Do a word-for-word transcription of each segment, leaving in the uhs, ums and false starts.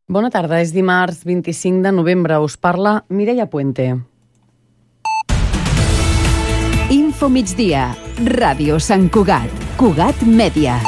Bona tarda, és dimarts vint-i-cinc de novembre. Us parla Mireia Puente. Info migdia, Ràdio Sant Cugat, Cugat Mèdia.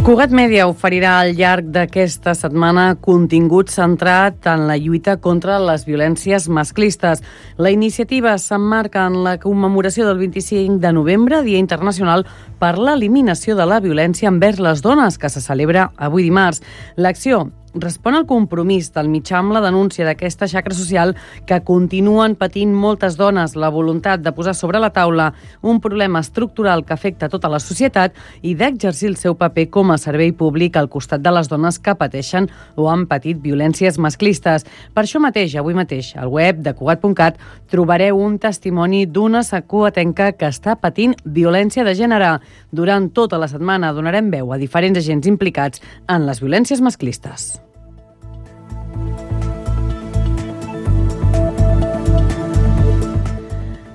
Cugat Mèdia oferirà al llarg d'aquesta setmana contingut centrat en la lluita contra les violències masclistes. La iniciativa s'emmarca en la commemoració del vint-i-cinc de novembre, Dia Internacional per l'Eliminació de la Violència envers les Dones, que se celebra avui dimarts. L'acció respon al compromís del mitjà amb la denúncia d'aquesta xacra social que continuen patint moltes dones, la voluntat de posar sobre la taula un problema estructural que afecta tota la societat i d'exercir el seu paper com a servei públic al costat de les dones que pateixen o han patit violències masclistes. Per això mateix, avui mateix, al web de Cugat punt cat trobareu un testimoni d'una cugatenca que està patint violència de gènere. Durant tota la setmana donarem veu a diferents agents implicats en les violències masclistes.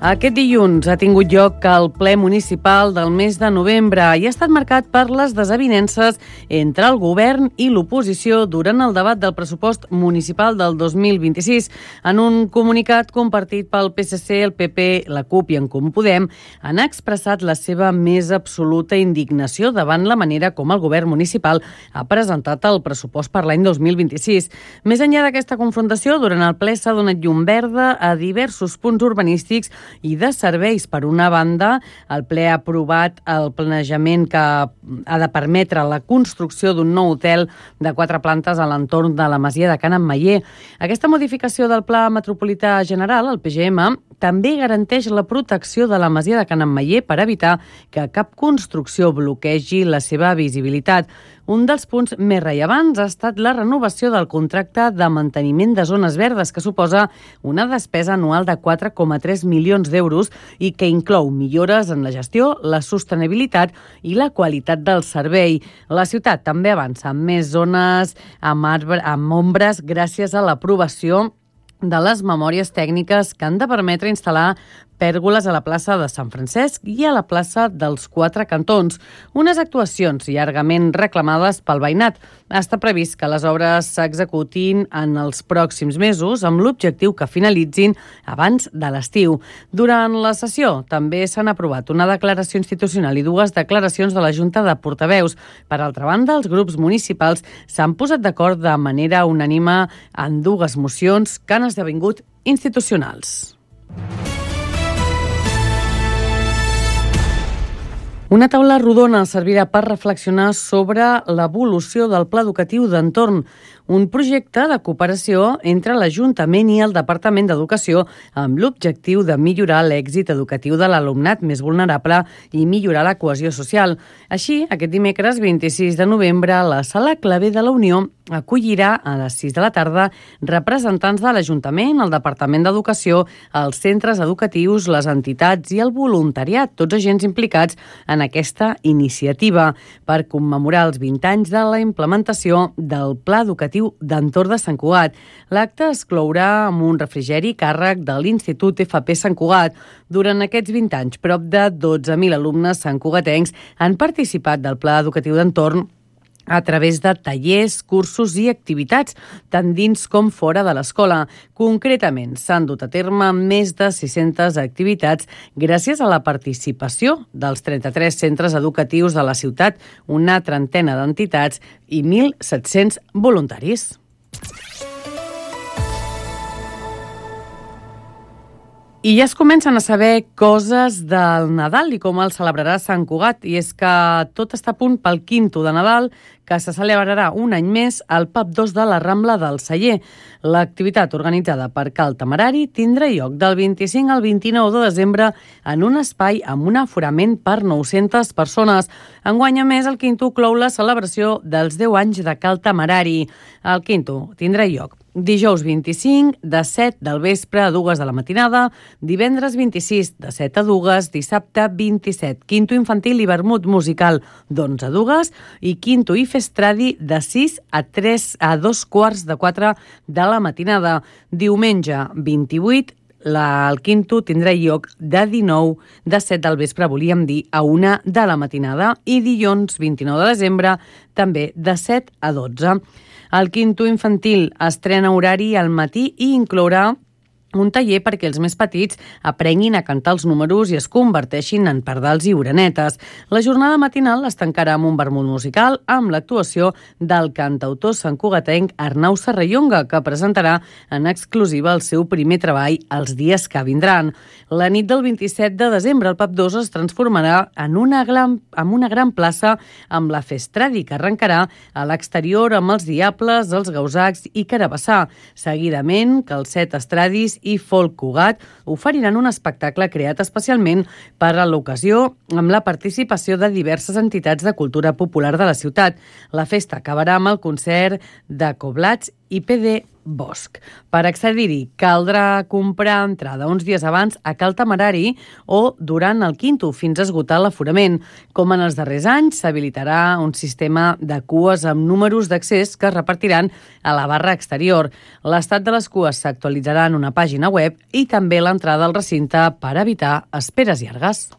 Aquest dilluns ha tingut lloc el ple municipal del mes de novembre i ha estat marcat per les desavinences entre el govern i l'oposició durant el debat del pressupost municipal del dos mil vint-i-sis. En un comunicat compartit pel P S C, el P P, la CUP i en Comú Podem han expressat la seva més absoluta indignació davant la manera com el govern municipal ha presentat el pressupost per l'any dos mil vint-i-sis. Més enllà d'aquesta confrontació, durant el ple s'ha donat llum verda a diversos punts urbanístics i de serveis. Per una banda, el ple ha aprovat el planejament que ha de permetre la construcció d'un nou hotel de quatre plantes a l'entorn de la masia de Can Ametller. Aquesta modificació del Pla Metropolità General, el P G M, també garanteix la protecció de la masia de Can Ametller per evitar que cap construcció bloquegi la seva visibilitat. Un dels punts més rellevants ha estat la renovació del contracte de manteniment de zones verdes, que suposa una despesa anual de quatre coma tres milions d'euros i que inclou millores en la gestió, la sostenibilitat i la qualitat del servei. La ciutat també avança amb més zones amb, arbre, amb ombres gràcies a l'aprovació de les memòries tècniques que han de permetre instal·lar pèrgoles a la plaça de Sant Francesc i a la plaça dels Quatre Cantons, unes actuacions llargament reclamades pel veïnat. Està previst que les obres s'executin en els pròxims mesos amb l'objectiu que finalitzin abans de l'estiu. Durant la sessió també s'han aprovat una declaració institucional i dues declaracions de la Junta de Portaveus. Per altra banda, els grups municipals s'han posat d'acord de manera unànime en dues mocions que han esdevingut institucionals. Una taula rodona servirà per reflexionar sobre l'evolució del Pla Educatiu d'Entorn, un projecte de cooperació entre l'Ajuntament i el Departament d'Educació amb l'objectiu de millorar l'èxit educatiu de l'alumnat més vulnerable i millorar la cohesió social. Així, aquest dimecres vint-i-sis de novembre, la Sala Clavé de la Unió acollirà a les sis de la tarda representants de l'Ajuntament, el Departament d'Educació, els centres educatius, les entitats i el voluntariat, tots agents implicats en aquesta iniciativa per commemorar els vint anys de la implementació del Pla Educatiu d'Entorn de Sant Cugat. L'acte es clourà amb un refrigeri càrrec de l'Institut F P Sant Cugat. Durant aquests vint anys, prop de dotze mil alumnes santcugatencs han participat del Pla Educatiu d'Entorn a través de tallers, cursos i activitats, tant dins com fora de l'escola. Concretament, s'han dut a terme més de sis-centes activitats gràcies a la participació dels trenta-tres centres educatius de la ciutat, una trentena d'entitats i mil set-cents voluntaris. I ja es comencen a saber coses del Nadal i com el celebrarà Sant Cugat. I és que tot està a punt pel quinto de Nadal, que se celebrarà un any més al pub dos de la Rambla del Celler. L'activitat organitzada per Cal Temerari tindrà lloc del vint-i-cinc al vint-i-nou de desembre en un espai amb un aforament per nou-centes persones. Enguany, a més, el quinto clou la celebració dels deu anys de Cal Temerari. El quinto tindrà lloc dijous vint-i-cinc, de set del vespre a dues de la matinada, divendres vint-i-sis, de set a dues, dissabte vint-i-set, quinto infantil i vermut musical d'onze a dues i quinto i festradi de sis a tres a dos quarts de quatre de la matinada. Diumenge vint-i-vuit, La, el quinto tindrà lloc de dinou de set del vespre, volíem dir, a una de la matinada, i dilluns vint-i-nou de desembre també de set a dotze. El quinto infantil estrena horari al matí i inclourà un taller perquè els més petits aprenguin a cantar els números i es converteixin en pardals i orenetes. La jornada matinal es tancarà amb un vermut musical amb l'actuació del cantautor santcugatenc Arnau Serrallonga, que presentarà en exclusiva el seu primer treball els dies que vindran. La nit del vint-i-set de desembre el Pub dos es transformarà en una gran, en una gran plaça amb la Festradi, que arrencarà a l'exterior amb els Diables, els Gausacs i Carabassà. Seguidament, que els set estradis i Folk Cugat oferiran un espectacle creat especialment per a l'ocasió amb la participació de diverses entitats de cultura popular de la ciutat. La festa acabarà amb el concert de Coblats i P D Bosch. Per accedir-hi caldrà comprar entrada uns dies abans a Cal Temerari o durant el quinto fins a esgotar l'aforament. Com en els darrers anys, s'habilitarà un sistema de cues amb números d'accés que es repartiran a la barra exterior. L'estat de les cues s'actualitzarà en una pàgina web i també l'entrada al recinte per evitar esperes llargues.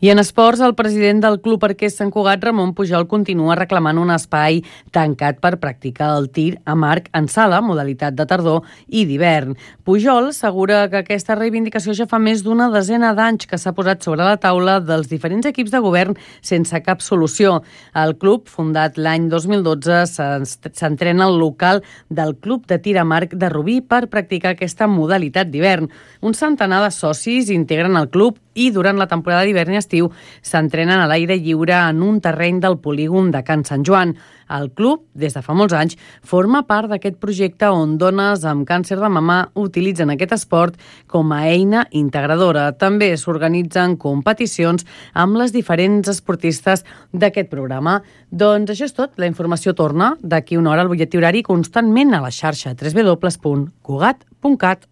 I en esports, el president del Club Arquers Sant Cugat, Ramon Pujol, continua reclamant un espai tancat per practicar el tir amb arc en sala, modalitat de tardor i d'hivern. Pujol assegura que aquesta reivindicació ja fa més d'una desena d'anys que s'ha posat sobre la taula dels diferents equips de govern sense cap solució. El club, fundat l'any dos mil dotze, s'entrena al local del Club de Tir amb Arc de Rubí per practicar aquesta modalitat d'hivern. Un centenar de socis integren el club i durant la temporada d'hivern i estiu s'entrenen a l'aire lliure en un terreny del polígon de Can Sant Joan. El club, des de fa molts anys, forma part d'aquest projecte on dones amb càncer de mama utilitzen aquest esport com a eina integradora. També s'organitzen competicions amb les diferents esportistes d'aquest programa. Doncs això és tot. La informació torna d'aquí una hora al butlletí horari constantment a la xarxa w w w punt cugat punt cat.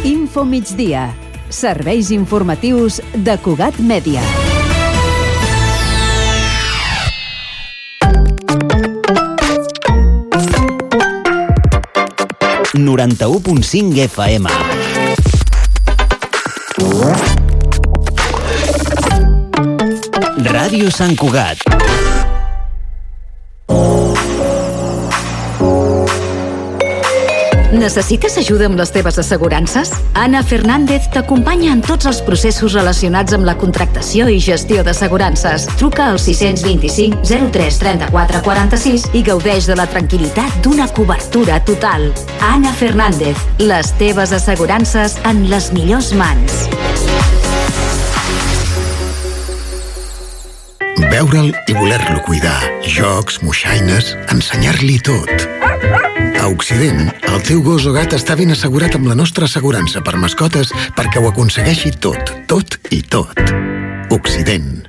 Info migdia. Serveis informatius de Cugat Mèdia. noranta-u punt cinc F M. Ràdio Sant Cugat. Necessites ajuda amb les teves assegurances? Anna Fernández t'acompanya en tots els processos relacionats amb la contractació i gestió d'assegurances. Truca al sis dos cinc zero tres trenta-quatre quaranta-sis i gaudeix de la tranquil·litat d'una cobertura total. Anna Fernández, les teves assegurances en les millors mans. Veure'l i voler-lo cuidar. Jocs, moixaines, ensenyar-li tot. A Occident, el teu gos o gat està ben assegurat amb la nostra assegurança per mascotes perquè ho aconsegueixi tot, tot i tot. Occident.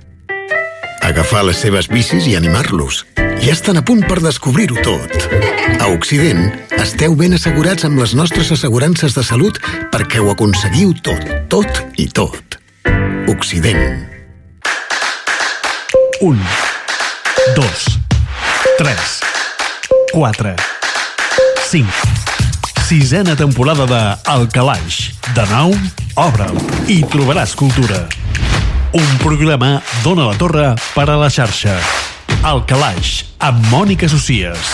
Agafar les seves bicis i animar-los. Ja estan a punt per descobrir-ho tot. A Occident, esteu ben assegurats amb les nostres assegurances de salut perquè ho aconseguiu tot, tot i tot. Occident. Un, dos, tres, quatre, cinc. Sisena temporada de El Calaix. De nou, obre'l i trobaràs cultura. Un programa d'Ona la Torre per a la xarxa. El Calaix, amb Mònica Socies.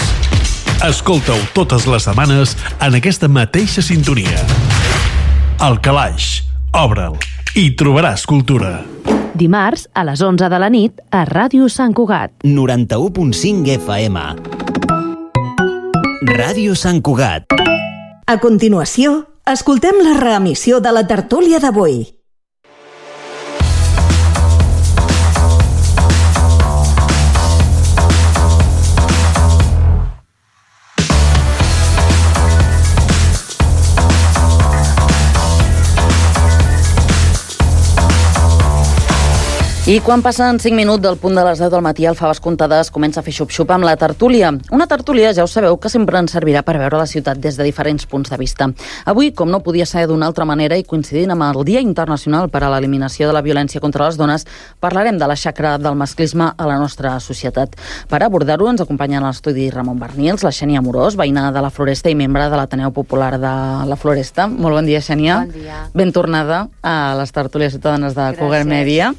Escolta-ho totes les setmanes en aquesta mateixa sintonia. El Calaix, obre'l i trobaràs cultura. Dimarts, a les onze de la nit, a Ràdio Sant Cugat. noranta-u punt cinc F M. Ràdio Sant Cugat. A continuació, escoltem la reemissió de la tertúlia d'avui. I quan passen cinc minuts del punt de les deu del matí, el Faves Comptades comença a fer xup-xup amb la tertúlia. Una tertúlia, ja ho sabeu, que sempre ens servirà per veure la ciutat des de diferents punts de vista. Avui, com no podia ser d'una altra manera i coincidint amb el Dia Internacional per a l'Eliminació de la Violència contra les Dones, parlarem de la xacra del masclisme a la nostra societat. Per abordar-ho ens acompanyen a l'estudi Ramon Bernils, la Xènia Amorós, veïna de la Floresta i membre de l'Ateneu Popular de la Floresta. Molt bon dia, Xènia. Bon dia. Ben tornada a les tertúlies ciutadanes de Cugat Mèdia.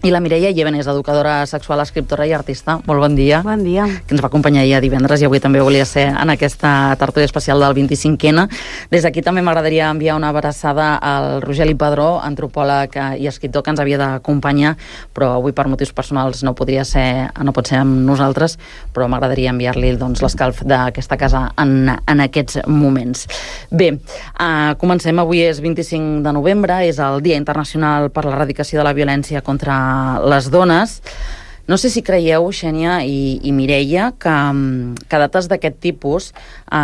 I la Mireia Llévenes, educadora sexual, escriptora i artista. Molt bon dia. Bon dia. Que ens va acompanyar ahir a divendres i avui també volia ser en aquesta tertúlia especial del vint-i-cinquè. Des d'aquí també m'agradaria enviar una abraçada al Rogeli Padró, antropòleg i escriptor que ens havia d'acompanyar, però avui per motius personals no podria ser, no pot ser amb nosaltres, però m'agradaria enviar-li doncs, l'escalf d'aquesta casa en, en aquests moments. Bé, uh, comencem. Avui és vint-i-cinc de novembre, és el Dia Internacional per l'Erradicació de la Violència contra les dones. No sé si creieu, Xènia i, i Mireia, que, que dates d'aquest tipus eh,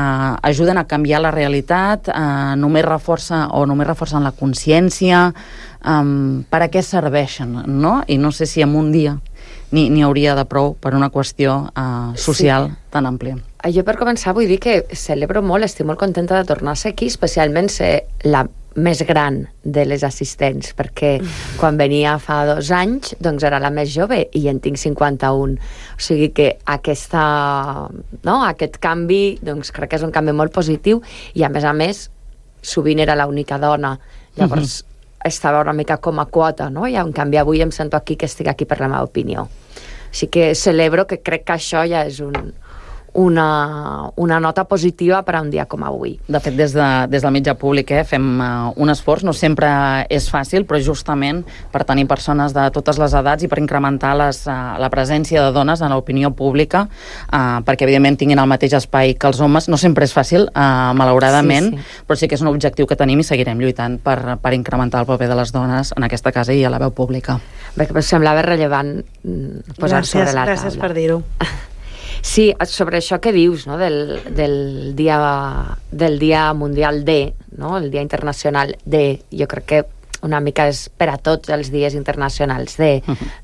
ajuden a canviar la realitat, eh, només reforça o només reforcen la consciència, eh, per a què serveixen, no? I no sé si en un dia n'hi hauria de prou per una qüestió eh, social sí. tan àmplia. Jo per començar vull dir que celebro molt, estic molt contenta de tornar a ser aquí, especialment ser la més gran de les assistents, perquè quan venia fa dos anys doncs era la més jove i en tinc cinquanta-un, o sigui que aquesta, no, aquest canvi doncs crec que és un canvi molt positiu i a més a més sovint era l'única dona, llavors uh-huh. estava una mica com a quota, no? I en canvi avui em sento aquí que estic aquí per la meva opinió, així que celebro, que crec que això ja és un Una, una nota positiva per a un dia com avui. De fet, des, de, des del mitjà públic eh, fem uh, un esforç, no sempre és fàcil, però justament per tenir persones de totes les edats i per incrementar les, uh, la presència de dones en l'opinió pública, uh, perquè evidentment tinguin el mateix espai que els homes. No sempre és fàcil, uh, malauradament, sí, sí. però sí que és un objectiu que tenim i seguirem lluitant per, per incrementar el paper de les dones en aquesta casa i a la veu pública. Bé, que semblava rellevant posar gràcies, sobre la taula. Gràcies per dir-ho. Sí, sobre això que dius, no? del, del, dia, del dia mundial D, no? El dia internacional D, jo crec que una mica és per a tots els dies internacionals D,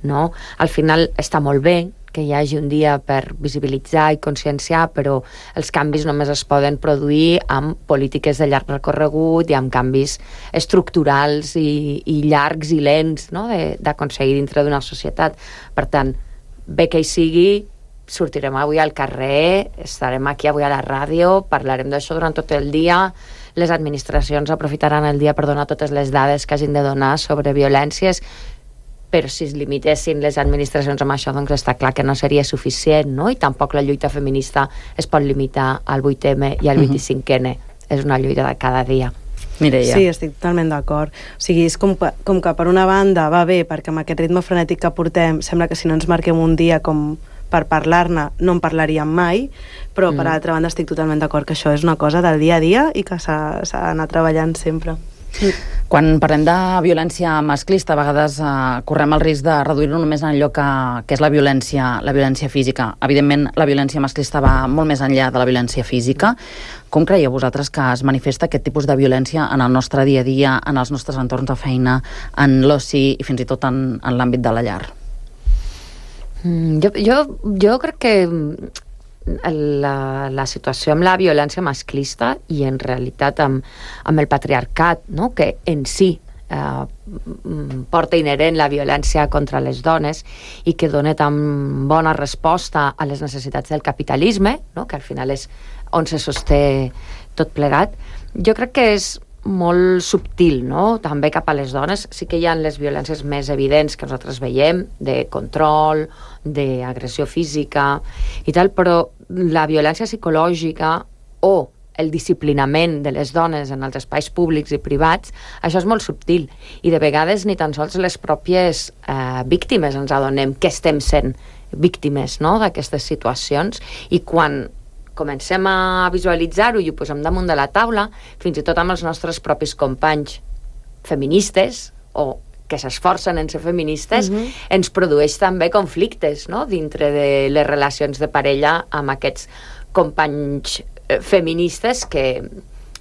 no? Al final està molt bé que hi hagi un dia per visibilitzar i conscienciar, però els canvis només es poden produir amb polítiques de llarg recorregut i amb canvis estructurals i, i llargs i lents, no? d'aconseguir dintre d'una societat. Per tant, bé que hi sigui, sortirem avui al carrer, estarem aquí avui a la ràdio, parlarem d'això durant tot el dia, les administracions aprofitaran el dia per donar totes les dades que hagin de donar sobre violències, però si es limitessin les administracions amb això, doncs està clar que no seria suficient, no? I tampoc la lluita feminista es pot limitar al vuit eme i al vint-i-cinquè ene. És una lluita de cada dia. Mireia. Sí, estic totalment d'acord. O sigui, és com, com que per una banda va bé, perquè amb aquest ritme frenètic que portem, sembla que si no ens marquem un dia com per parlar-ne, no en parlaríem mai, però mm. per altra banda estic totalment d'acord que això és una cosa del dia a dia i que s'ha d'anar treballant sempre. Sí. Quan parlem de violència masclista, a vegades eh, correm el risc de reduir-lo només en allò que, que és la violència, la violència física. Evidentment, la violència masclista va molt més enllà de la violència física. Com creieu vosaltres que es manifesta aquest tipus de violència en el nostre dia a dia, en els nostres entorns de feina, en l'oci i fins i tot en, en l'àmbit de la llar? Jo, jo, jo crec que la, la situació amb la violència masclista i en realitat amb, amb el patriarcat, no? Que en si eh, porta inherent la violència contra les dones i que dona tan bona resposta a les necessitats del capitalisme, no? Que al final és on se sosté tot plegat, jo crec que és molt subtil, no? També cap a les dones. Sí que hi ha les violències més evidents que nosaltres veiem, de control, d'agressió física i tal, però la violència psicològica o el disciplinament de les dones en els espais públics i privats, això és molt subtil i de vegades ni tan sols les pròpies eh, víctimes ens adonem que estem sent víctimes, no? D'aquestes situacions, i quan comencem a visualitzar-ho i ho posem damunt de la taula, fins i tot amb els nostres propis companys feministes o que s'esforcen en ser feministes, uh-huh. ens produeix també conflictes, no? Dintre de les relacions de parella amb aquests companys eh, feministes que,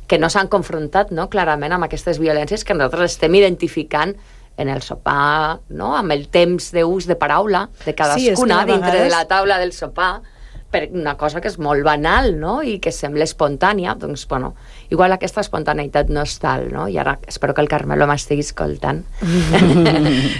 que no s'han confrontat, no? Clarament amb aquestes violències que nosaltres estem identificant en el sopar, no? Amb el temps d'ús de paraula de cadascuna sí, dintre vegades... de la taula del sopar, per una cosa que és molt banal, no? I que sembla espontània, doncs, bueno, igual aquesta espontaneïtat no és tal, no? I ara espero que el Carmelo m'estigui escoltant.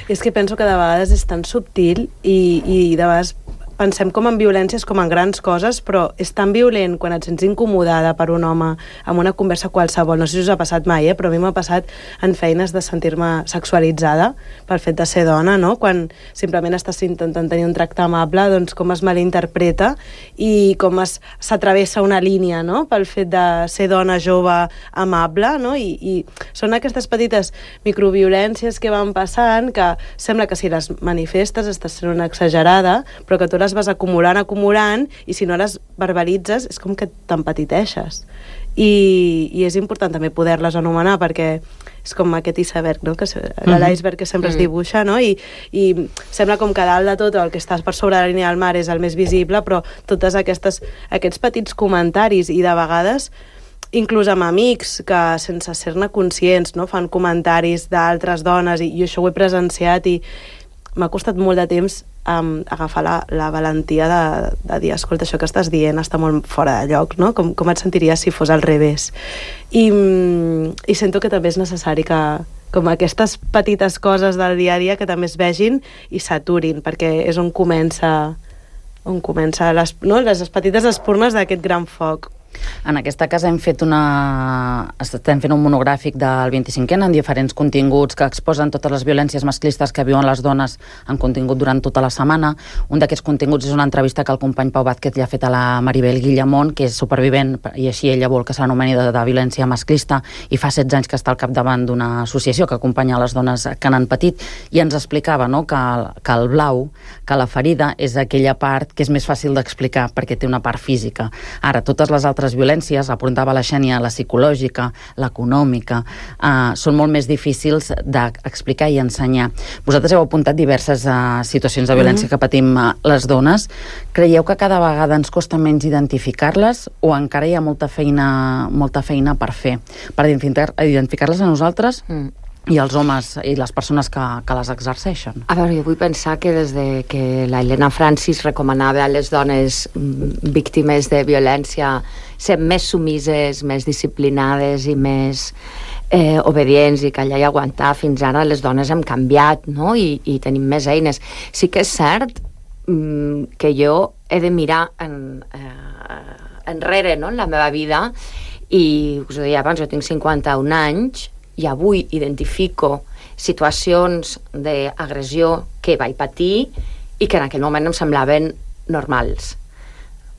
És que penso que de vegades és tan subtil i, i de vegades pensem com en violències com en grans coses, però és tan violent quan et sents incomodada per un home amb una conversa qualsevol. No sé si us ha passat mai, eh? Però a mi m'ha passat en feines de sentir-me sexualitzada pel fet de ser dona, no? Quan simplement estàs intentant tenir un tracte amable, doncs com es malinterpreta i com es, s'atravessa una línia, no? Pel fet de ser dona jove amable, no? I, i són aquestes petites microviolències que van passant que sembla que si les manifestes estàs sent una exagerada, però que tu les vas acumulant, acumulant, i si no les verbalitzes és com que t'empetiteixes. I, i és important també poder-les anomenar, perquè és com aquest iceberg, no? Que l'iceberg que sempre es dibuixa, no? I, i sembla com que dalt de tot el que estàs per sobre la línia del mar és el més visible, però totes aquestes, aquests petits comentaris, i de vegades inclús amb amics que sense ser-ne conscients, no? Fan comentaris d'altres dones, i jo això ho he presenciat i m'ha costat molt de temps um, agafar la, la valentia de, de dir, escolta, això que estàs dient està molt fora de lloc, no? Com, com et sentiries si fos al revés? I, i sento que també és necessari que com aquestes petites coses del dia a dia que també es vegin i s'aturin, perquè és on comença, on comença les, no? les petites espurnes d'aquest gran foc. En aquesta casa hem fet una... estem fent un monogràfic del vint-i-cinquè en diferents continguts que exposen totes les violències masclistes que viuen les dones en contingut durant tota la setmana. Un d'aquests continguts és una entrevista que el company Pau Vázquez li ha fet a la Maribel Guillamont, que és supervivent, i així ella vol que s'anomeni de, de violència masclista, i fa setze anys que està al capdavant d'una associació que acompanya les dones que n'han patit, i ens explicava, no?, que, que el blau, que la ferida és aquella part que és més fàcil d'explicar perquè té una part física. Ara, totes les altres violències, apuntava la Xènia, la psicològica, l'econòmica, eh, són molt més difícils d'explicar i ensenyar. Vosaltres heu apuntat diverses eh, situacions de violència mm-hmm. que patim eh, les dones. Creieu que cada vegada ens costa menys identificar-les o encara hi ha molta feina, molta feina per fer? Per identificar-les a nosaltres mm. i els homes i les persones que, que les exerceixen? A veure, jo vull pensar que des de que la Helena Francis recomanava a les dones víctimes de violència ser més sumises, més disciplinades i més eh, obedients i callar i aguantar, fins ara les dones hem canviat, no? I, i tenim més eines. Sí que és cert mm, que jo he de mirar en, eh, enrere, no?, en la meva vida, i us ho deia abans, jo tinc cinquanta-un anys i avui identifico situacions d'agressió que vaig patir i que en aquell moment em semblaven normals,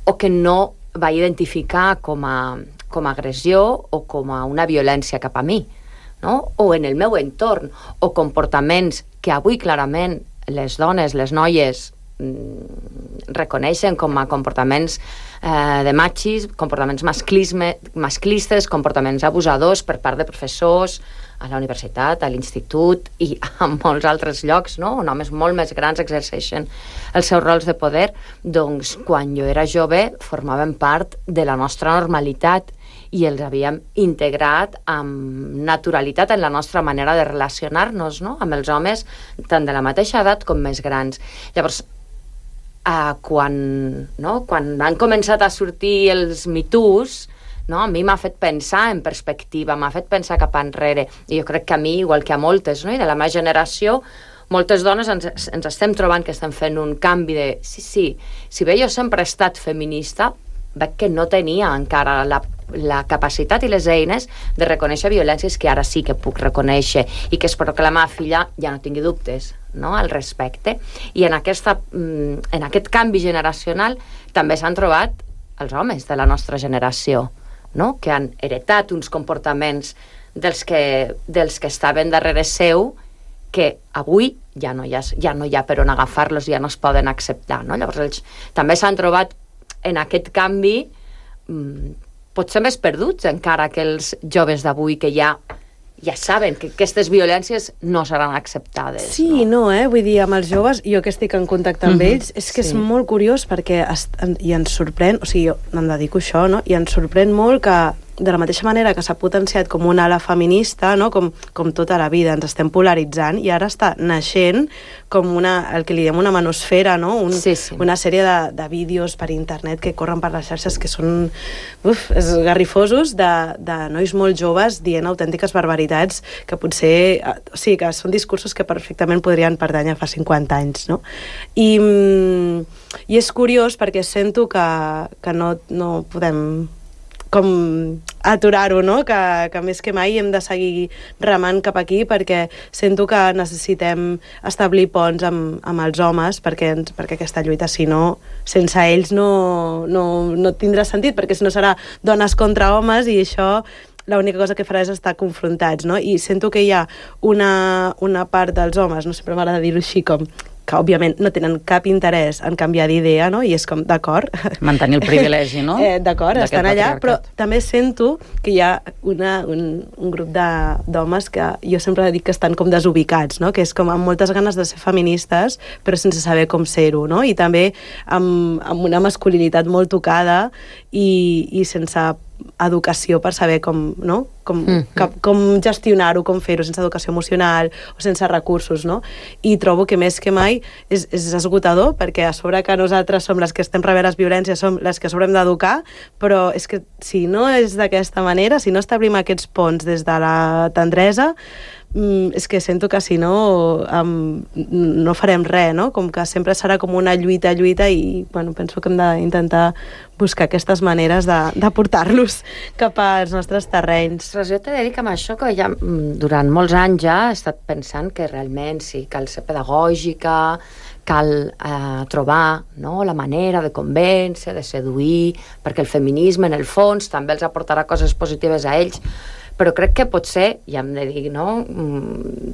o que no vaig identificar com a, com a agressió o com a una violència cap a mi, no? O en el meu entorn, o comportaments que avui clarament les dones, les noies mm, reconeixen com a comportaments eh, de machis, comportaments masclisme, masclistes, comportaments abusadors per part de professors a la universitat, a l'institut i a molts altres llocs, no?, on homes molt més grans exerceixen els seus rols de poder. Doncs quan jo era jove formaven part de la nostra normalitat i els havíem integrat amb naturalitat en la nostra manera de relacionar-nos, no?, amb els homes tant de la mateixa edat com més grans. Llavors, eh, quan, no, quan han començat a sortir els Me Toos, no? A mi m'ha fet pensar en perspectiva, m'ha fet pensar cap enrere, i jo crec que a mi, igual que a moltes, no?, i de la meva generació, moltes dones ens, ens estem trobant que estem fent un canvi de sí, sí, si bé jo sempre he estat feminista, veig que no tenia encara la, la capacitat i les eines de reconèixer violències que ara sí que puc reconèixer i que espero que la meva filla ja no tingui dubtes, no?, al respecte. I en, aquesta, en aquest canvi generacional també s'han trobat els homes de la nostra generació, no?, que han heretat uns comportaments dels que, dels que estaven darrere seu, que avui ja no hi ha, ja no hi ha per on agafar-los, ja no es poden acceptar, no? Llavors ells també s'han trobat en aquest canvi mmm, potser més perduts encara que els joves d'avui, que ja ja saben que aquestes violències no seran acceptades. Sí, no, no eh? Vull dir, amb els joves, jo que estic en contacte amb mm-hmm. ells, és que sí. És molt curiós perquè es, en, i ens sorprèn, o sigui, jo em dedico a això, no? I ens sorprèn molt que de la mateixa manera que s'ha potenciat com una ala feminista, no? com, com tota la vida, ens estem polaritzant, i ara està naixent com una, el que li diem una manosfera, no? Un, sí, sí. Una sèrie de, de vídeos per internet que corren per les xarxes que són uf, esgarrifosos de, de nois molt joves dient autèntiques barbaritats que potser, o sigui, que són discursos que perfectament podrien pertànyer fa cinquanta anys, no? I, i és curiós perquè sento que, que no, no podem com aturar-ho, no? Que, que més que mai hem de seguir remant cap aquí perquè sento que necessitem establir ponts amb, amb els homes perquè, perquè aquesta lluita, si no, sense ells no, no, no tindrà sentit, perquè si no serà dones contra homes i això l'única cosa que farà és estar confrontats, no? I sento que hi ha una, una part dels homes, no sempre m'agrada dir-ho així, com que òbviament no tenen cap interès en canviar d'idea, no? I és com, d'acord. Mantenir el privilegi, no? eh, d'acord, estan allà, però també sento que hi ha una, un, un grup d'homes que jo sempre dic que estan com desubicats, no? Que és com amb moltes ganes de ser feministes, però sense saber com ser-ho, no? I també amb, amb una masculinitat molt tocada i, i sense educació per saber com, no? com, mm-hmm. com gestionar-ho, com fer-ho, sense educació emocional o sense recursos, no? I trobo que més que mai és, és esgotador, perquè a sobre que nosaltres som les que estem rebent les violències, som les que sobre hem d'educar, però és que si no és d'aquesta manera, si no establim aquests ponts des de la tendresa, és que sento que si no um, no farem res, no? Com que sempre serà com una lluita, lluita i bueno, penso que hem d'intentar buscar aquestes maneres de, de portar-los cap als nostres terrenys. Però jo t'he de dir que amb això que ja durant molts anys ja he estat pensant que realment sí, cal ser pedagògica, cal eh, trobar, no?, la manera de convèncer, de seduir, perquè el feminisme en el fons també els aportarà coses positives a ells, però crec que potser, ja hem de dir, no?,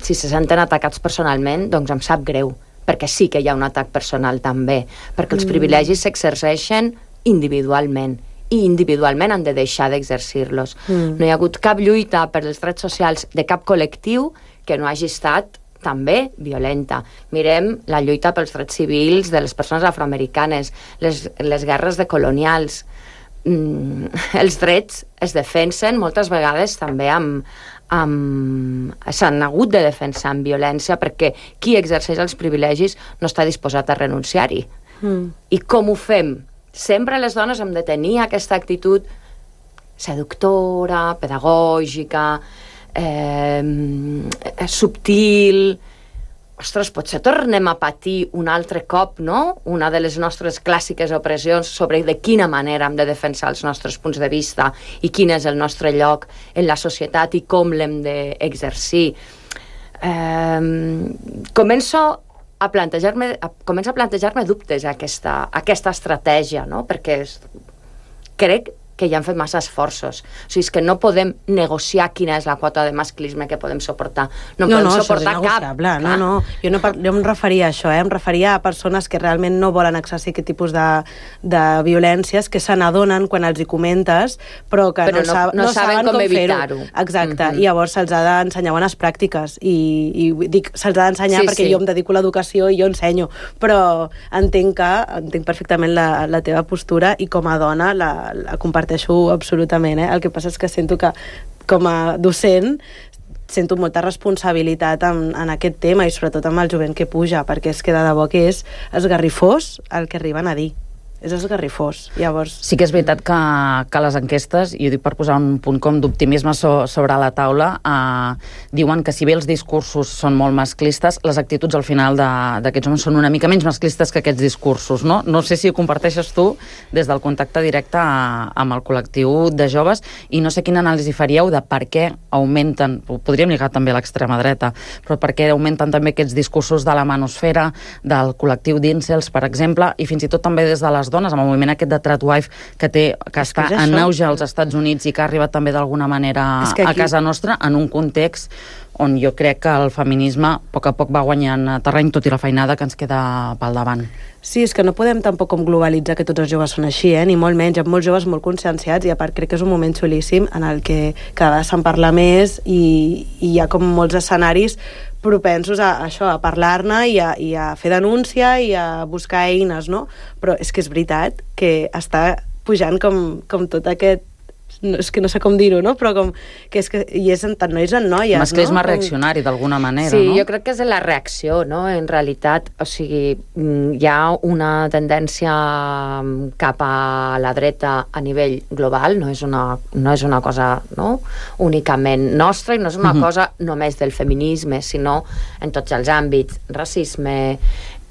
si se senten atacats personalment, doncs em sap greu, perquè sí que hi ha un atac personal també, perquè els mm. privilegis s'exerceixen individualment, i individualment han de deixar d'exercir-los. Mm. No hi ha hagut cap lluita per els drets socials de cap col·lectiu que no hagi estat també violenta. Mirem la lluita pels drets civils de les persones afroamericanes, les, les guerres de colonials. Mm, els drets es defensen moltes vegades també amb, amb... s'han hagut de defensar amb violència perquè qui exerceix els privilegis no està disposat a renunciar-hi. Mm. I com ho fem? Sempre les dones hem de tenir aquesta actitud seductora, pedagògica, eh, subtil. Ostres, potser tornem a patir un altre cop, no?, una de les nostres clàssiques opressions sobre de quina manera hem de defensar els nostres punts de vista i quin és el nostre lloc en la societat i com l'hem d'exercir. Eh, començo a plantejar-me començo a plantejar-me dubtes a aquesta, a aquesta estratègia, no?, perquè és, crec que ja han fet massa esforços. O sigui, és que no podem negociar quina és la quota de masclisme que podem suportar. No, no podem no, suportar cap. No, no, jo no jo em referia a això, eh? Em referia a persones que realment no volen exercir aquest tipus de, de violències, que se n'adonen quan els hi comentes, però que però no, no, no, no saben, saben com, com evitar-ho. Exacte, mm-hmm. I llavors se'ls ha d'ensenyar bones pràctiques, i, i dic, se'ls ha d'ensenyar sí, perquè sí. Jo em dedico a l'educació i jo ensenyo, però entenc que, entenc perfectament la, la teva postura i com a dona la, la comparteixo absolutament, eh? El que passa és que sento que com a docent sento molta responsabilitat en, en aquest tema i sobretot amb el jovent que puja, perquè és que de debò que és esgarrifós el que arriben a dir. És esgarrifós, llavors... Sí que és veritat que, que les enquestes, i ho dic per posar un punt com d'optimisme so, sobre la taula, eh, diuen que si bé els discursos són molt masclistes, les actituds al final d'aquests homes són una mica menys masclistes que aquests discursos, no? No sé si ho comparteixes tu des del contacte directe a, amb el col·lectiu de joves, i no sé quina anàlisi faríeu de per què augmenten, podríem lligar també a l'extrema dreta, però per què augmenten també aquests discursos de la manosfera, del col·lectiu d'íncels, per exemple, i fins i tot també des de les dones, amb el moviment aquest de Tradwife que, té, que està que en auge als Estats Units i que ha arribat també d'alguna manera aquí... a casa nostra, en un context on jo crec que el feminisme a poc a poc va guanyant terreny, tot i la feinada que ens queda pel davant. Sí, és que no podem tampoc com globalitzar que tots els joves són així, eh? Ni molt menys. Hi ha molts joves molt conscienciats i a part crec que és un moment xulíssim en el que cada vegada se'n parla més i, i hi ha com molts escenaris propensos a, a això, a parlar-ne i, a, i a fer denúncia i a buscar eines, no? Però és que és veritat que està pujant com, com tot aquest no, és que no sé com dir-ho, no? Però com que és que i és en tant nois en noies, masclisme no? reaccionari, d'alguna manera, sí, no? Sí, jo crec que és la reacció, no? En realitat, o sigui, hi ha una tendència cap a la dreta a nivell global, no és una, no és una cosa, no?, únicament nostra, i no és una mm-hmm. cosa només del feminisme, sinó en tots els àmbits, racisme,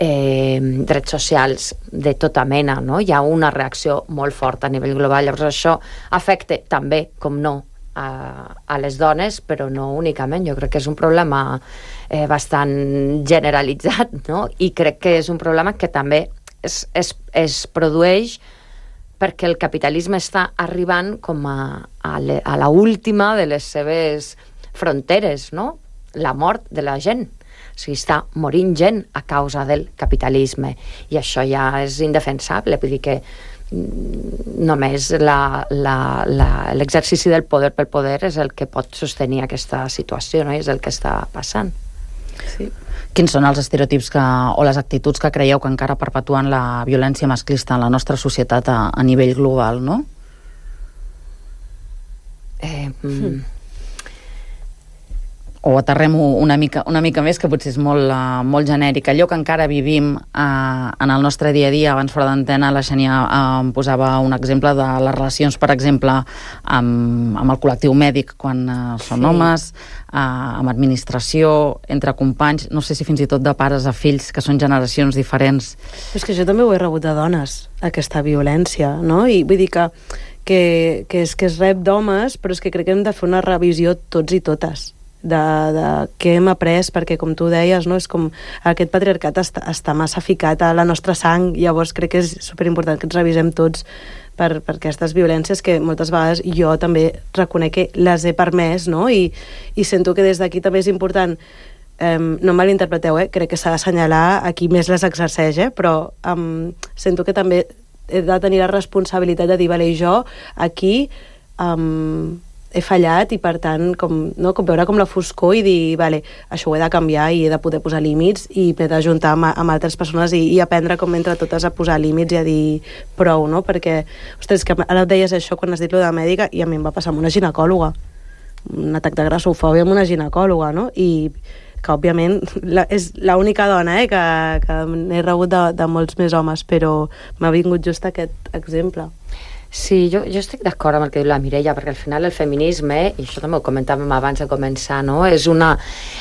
Eh, drets socials de tota mena, no? Hi ha una reacció molt forta a nivell global, llavors això afecta també, com no, a, a les dones, però no únicament. Jo crec que és un problema eh, bastant generalitzat, no? I crec que és un problema que també es, es, es produeix perquè el capitalisme està arribant com a, a, le, a la última de les seves fronteres, no? La mort de la gent. O sigui, està morint gent a causa del capitalisme i això ja és indefensable, vull dir que només l'exercici del poder pel poder és el que pot sostenir aquesta situació, no? I és el que està passant. Sí. Quins són els estereotips que, o les actituds que creieu que encara perpetuen la violència masclista en la nostra societat a, a nivell global, no? Eh... Mm. O aterrem-ho una mica, una mica més, que potser és molt, uh, molt genèric. Allò que encara vivim uh, en el nostre dia a dia, abans fora d'antena, la Xènia uh, em posava un exemple de les relacions, per exemple, amb, amb el col·lectiu mèdic, quan uh, són sí. homes, uh, amb administració, entre companys, no sé si fins i tot de pares a fills, que són generacions diferents. És que jo també ho he rebut de dones, aquesta violència, no? I vull dir que, que, que, és, que es rep d'homes, però és que crec que hem de fer una revisió tots i totes. De, de què hem après, perquè com tu deies, no? És com aquest patriarcat està, està massa ficat a la nostra sang, llavors crec que és superimportant que ens revisem tots per, per aquestes violències que moltes vegades jo també reconec que les he permès, no? I, i sento que des d'aquí també és important, eh, no malinterpreteu, eh? Crec que s'ha d'assenyalar a qui més les exerceix, eh? Però eh, sento que també he de tenir la responsabilitat de dir, vale, jo aquí eh, he fallat i per tant com, no, com veure com la foscor i dir, vale, això ho he de canviar i he de poder posar límits i m'he d'ajuntar amb, amb altres persones i, i aprendre com entre totes a posar límits i a dir prou, no? Perquè, ostres, que ara deies això quan has dit lo de mèdica i a mi em va passar amb una ginecòloga, un atac de grassofòbia amb una ginecòloga, no? I que òbviament la, és l'única dona eh, que, que n'he rebut de, de molts més homes, però m'ha vingut just aquest exemple. Sí, jo, jo estic d'acord amb el que diu la Mireia, perquè al final el feminisme, i això també ho comentàvem abans de començar, no? És una,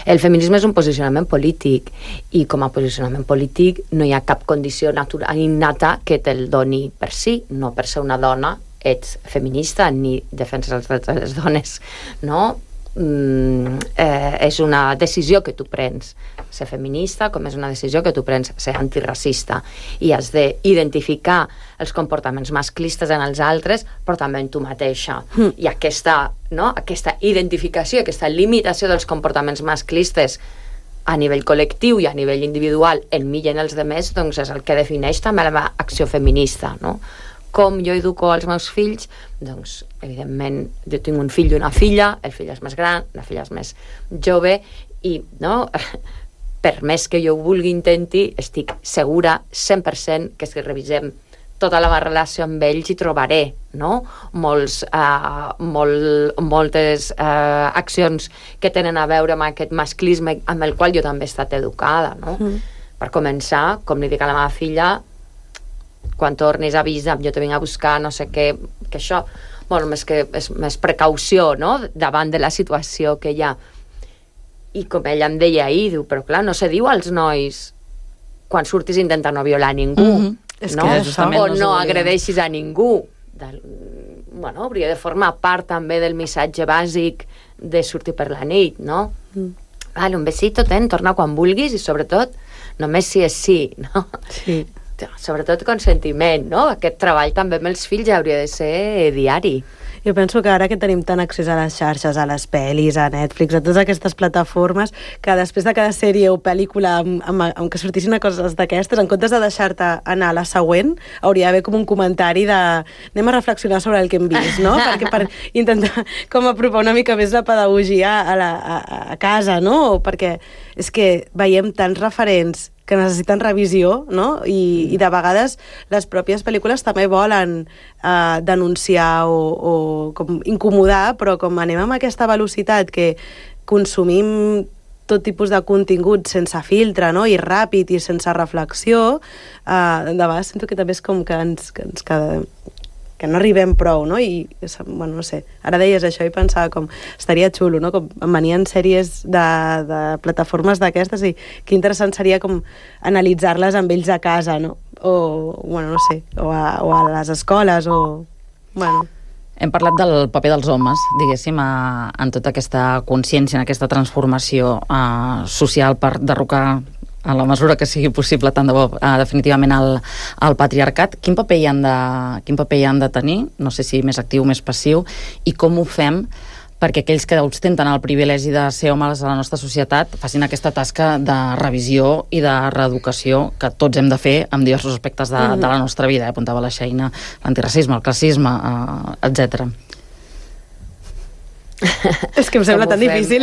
el feminisme és un posicionament polític, i com a posicionament polític no hi ha cap condició natural innata que te'l doni per si, no per ser una dona ets feminista ni defenses els drets de les dones, no? Mm, eh, és una decisió que tu prens ser feminista, com és una decisió que tu prens ser antiracista, i has d'identificar els comportaments masclistes en els altres, però també en tu mateixa. Mm. I aquesta, no, aquesta identificació, aquesta limitació dels comportaments masclistes a nivell col·lectiu i a nivell individual en mi i en els demés, doncs és el que defineix també la meva acció feminista, no? Com jo educo els meus fills? Doncs, evidentment, jo tinc un fill i una filla, el fill és més gran, la filla és més jove, i, no, per més que jo ho vulgui intenti, estic segura cent per cent que si revisem tota la meva relació amb ells hi trobaré, no? Molts, uh, molt, moltes uh, accions que tenen a veure amb aquest masclisme amb el qual jo també he estat educada, no? Mm. Per començar, com li dic a la meva filla, quan tornis avisa'm, jo te vinc a buscar, no sé què, que això, bueno, més que és més precaució, no?, davant de la situació que hi ha. I com ella em deia ahir, diu, però clar, no se diu als nois quan surtis intenta no violar ningú, mm-hmm. no? O no, no agredeixis a ningú. Del, bueno, hauria de formar part també del missatge bàsic de sortir per la nit, no? Mm. Vale, un besito, ten, torna quan vulguis i sobretot només si és sí, no? Sí. Sobretot consentiment, no? Aquest treball també amb els fills hauria de ser diari. Jo penso que ara que tenim tant accés a les xarxes, a les pel·lis, a Netflix, a totes aquestes plataformes, que després de cada sèrie o pel·lícula amb, amb, amb que sortissin coses d'aquestes, en comptes de deixar-te anar a la següent, hauria d'haver com un comentari de anem a reflexionar sobre el que hem vist, no? Perquè per intentar com apropar una mica més la pedagogia a, la, a, a casa, no? Perquè és que veiem tants referents que necessiten revisió, no? I, i de vegades les pròpies pel·lícules també volen eh, denunciar o, o com incomodar, però com anem amb aquesta velocitat que consumim tot tipus de contingut sense filtre, no? I ràpid i sense reflexió, eh, de vegades sento que també és com que ens, que, ens, que, que no arribem prou, no? I, bueno, no sé, ara deies això i pensava com, estaria xulo, no? Com em venien sèries de, de plataformes d'aquestes i que interessant seria com analitzar-les amb ells a casa, no? O, bueno, no sé, o a, o a les escoles, o... Bueno... Hem parlat del paper dels homes, diguéssim, a, en tota aquesta consciència, en aquesta transformació uh, social per derrocar a la mesura que sigui possible tant de bo uh, definitivament el, el patriarcat. Quin paper hi han de, quin paper hi han de tenir? No sé si més actiu o més passiu, i com ho fem perquè aquells que ostenten el privilegi de ser homes a la nostra societat facin aquesta tasca de revisió i de reeducació que tots hem de fer en diversos aspectes de, mm. de la nostra vida, eh? Apuntava la Xeina, l'antiracisme, el classisme, eh, etcètera. És que em sembla tan difícil.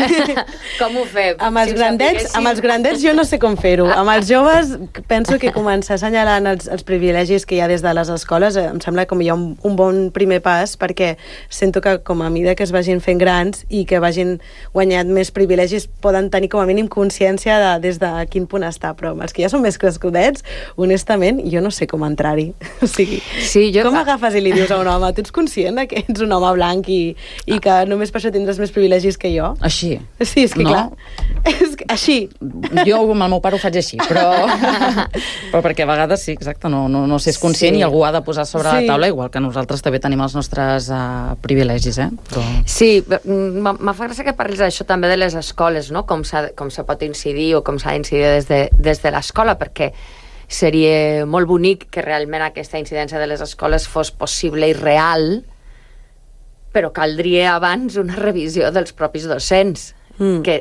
Com ho fem? Amb els, si grandets, amb els grandets jo no sé com fer-ho. Amb els joves penso que començar assenyalant els, els privilegis que hi ha des de les escoles em sembla com hi ha un, un bon primer pas, perquè sento que com a mida que es vagin fent grans i que vagin guanyant més privilegis poden tenir com a mínim consciència de des de quin punt està, però els que ja són més crescudets, honestament, jo no sé com entrar-hi. O sigui, sí, jo... com agafes i li dius a un home, tu ets conscient que ets un home blanc i, i que només per això tindràs més privilegis que jo? Així. Sí, és que no? clar. És que, així. Jo amb el meu pare ho faig així, però, però perquè a vegades sí, exacte, no, no, no s'és conscient sí. I algú ha de posar sobre sí. la taula, igual que nosaltres també tenim els nostres uh, privilegis, eh? Però... Sí, m'ha fa gràcia que parlis d'això també de les escoles, no? Com, com se pot incidir o com s'ha d'incidir des de, des de l'escola, perquè seria molt bonic que realment aquesta incidència de les escoles fos possible i real, però caldria abans una revisió dels propis docents, mm. que,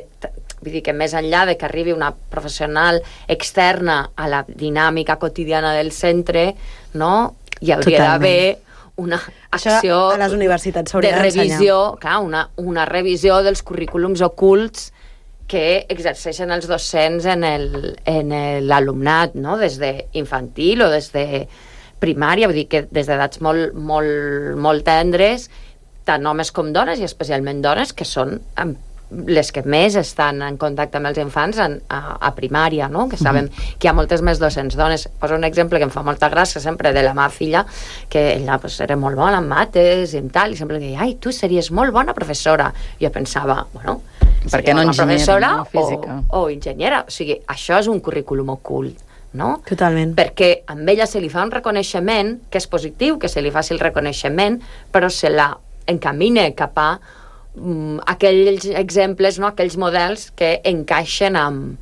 vull dir que més enllà de que arribi una professional externa a la dinàmica quotidiana del centre, no? Hi hauria d'haver una acció això a les universitats de revisió, clar, una, una revisió dels currículums ocults que exerceixen els docents en l'alumnat, no? Des d'infantil o des de primària, vull dir que des d'edats molt, molt, molt tendres, tant homes com dones, i especialment dones, que són les que més estan en contacte amb els infants en, a, a primària, no? Que sabem uh-huh. que hi ha moltes més docents dones. Poso un exemple que em fa molta gràcia sempre de la meva filla, que ella pues, era molt bona en mates i en tal, i sempre deia, ai, tu series molt bona professora. I jo pensava, bueno, per què no enginyera, no física? O, o enginyera. O sigui, això és un currículum ocult, no? Totalment. Perquè amb ella se li fa un reconeixement, que és positiu, que se li faci el reconeixement, però se la encamina cap a um, aquells exemples, no? Aquells models que encaixen amb,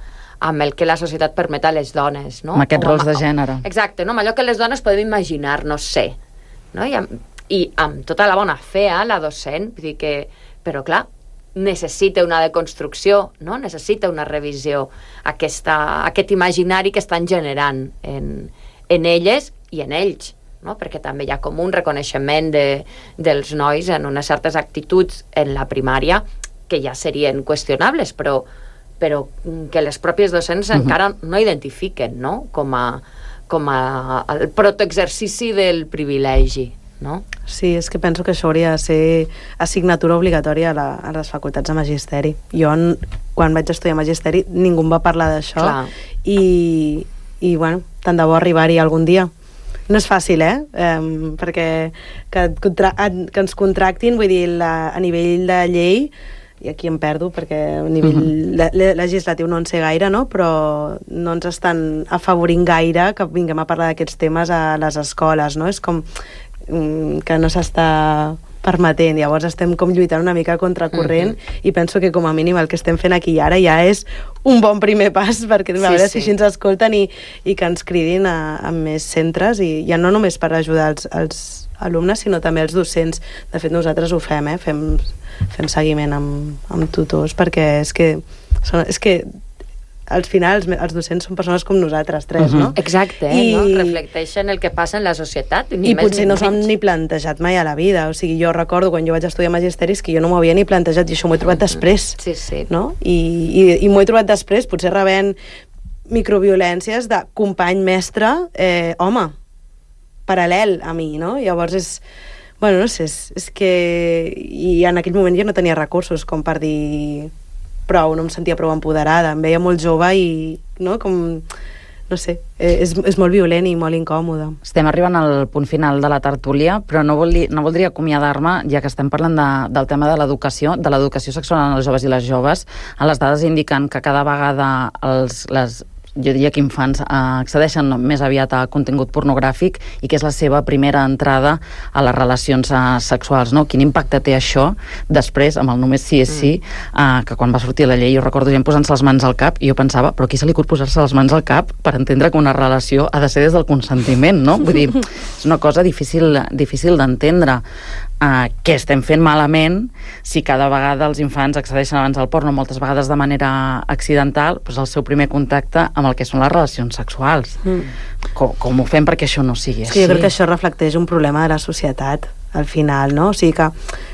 amb el que la societat permet a les dones, no? Amb aquests rols de gènere. Exacte, no? Amb allò que les dones podem imaginar-nos ser, no? I amb, i amb tota la bona fe, eh, la docent, vull dir que, però clar, necessita una deconstrucció, no? Necessita una revisió, aquesta, aquest imaginari que estan generant en, en elles i en ells, no? Perquè també hi ha com un reconeixement de, dels nois en unes certes actituds en la primària que ja serien qüestionables, però, però que les pròpies docents uh-huh. encara no identifiquen, no? Com a, com a el protoexercici del privilegi, no? Sí, és que penso que això hauria de ser assignatura obligatòria a, la, a les facultats de magisteri. Jo, quan vaig estudiar magisteri, ningú em va parlar d'això i, i, bueno, tant de bo arribar-hi algun dia. No és fàcil, eh? Um, perquè que, que ens contractin, vull dir, la, a nivell de llei, i aquí em perdo perquè a nivell uh-huh. le, legislatiu no en sé gaire, no? Però no ens estan afavorint gaire que vinguem a parlar d'aquests temes a les escoles, no? És com um, que no s'està permetent, llavors estem com lluitant una mica contracorrent uh-huh. i penso que com a mínim el que estem fent aquí ara ja és un bon primer pas perquè sí, a veure sí. si així ens escolten i, i que ens cridin a, a més centres i ja no només per ajudar els, els alumnes sinó també els docents. De fet nosaltres ho fem, eh? fem, fem seguiment amb, amb tutors perquè és que, són, és que al final els, els docents són persones com nosaltres tres, uh-huh. no? Exacte, I, no? Reflecteixen el que passa en la societat. Ni I potser no s'ho han ni plantejat mai a la vida. O sigui, jo recordo quan jo vaig estudiar magisteris que jo no m'ho havia ni plantejat i això m'ho he trobat després. Sí, sí. No? I, i, i m'ho he trobat després, potser rebent microviolències de company mestre, eh, home, paral·lel a mi, no? Llavors és... Bueno, no sé, és, és que... I en aquell moment jo no tenia recursos com per dir prou, no em sentia prou empoderada, em veia molt jove i, no, com... No sé, és, és molt violent i molt incòmode. Estem arribant al punt final de la tertúlia, però no, voldria, no voldria acomiadar-me, ja que estem parlant de, del tema de l'educació, de l'educació sexual en els joves i les joves. Les dades indiquen que cada vegada els, les jo diria que infants eh, accedeixen més aviat a contingut pornogràfic i que és la seva primera entrada a les relacions eh, sexuals, no? Quin impacte té això després, amb el només sí és sí, eh, que quan va sortir la llei, jo recordo gent posant-se les mans al cap i jo pensava, però qui se li cut posar-se les mans al cap per entendre que una relació ha de ser des del consentiment, no? Vull dir, és una cosa difícil, difícil d'entendre. Uh, què estem fent malament si cada vegada els infants accedeixen abans al porno, moltes vegades de manera accidental, doncs el seu primer contacte amb el que són les relacions sexuals. Mm. Com, com ho fem perquè això no sigui així? Sí, jo crec que això reflecteix un problema de la societat, al final, no? O sigui que,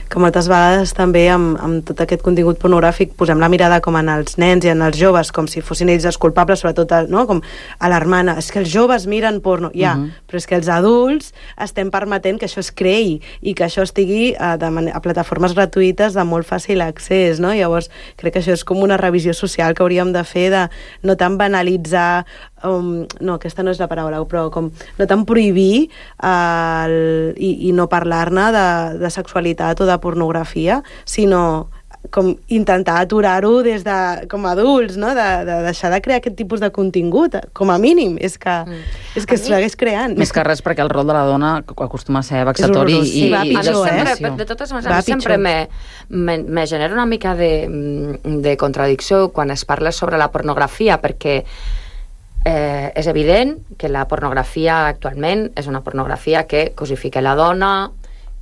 que moltes vegades també amb, amb tot aquest contingut pornogràfic posem la mirada com en els nens i en els joves, com si fossin ells els culpables, sobretot, no? Com alarmant, és que els joves miren porno, ja, uh-huh. però és que els adults estem permetent que això es creï i que això estigui a, de man- a plataformes gratuïtes de molt fàcil accés, no? Llavors, crec que això és com una revisió social que hauríem de fer de no tant banalitzar, um, no, aquesta no és la paraula, però com no tant prohibir uh, el, i, i no parlar-ne de, de sexualitat o de pornografia, sinó com intentar aturar-ho des de, com a adults, no? de, de deixar de crear aquest tipus de contingut, com a mínim, és que, mm. és que es segueix creant. Més que res perquè el rol de la dona acostuma a ser vexatori i, sí, i, i sempre, eh? De totes maneres, sempre me, me, me genera una mica de, de contradicció quan es parla sobre la pornografia, perquè eh, és evident que la pornografia actualment és una pornografia que cosifica la dona,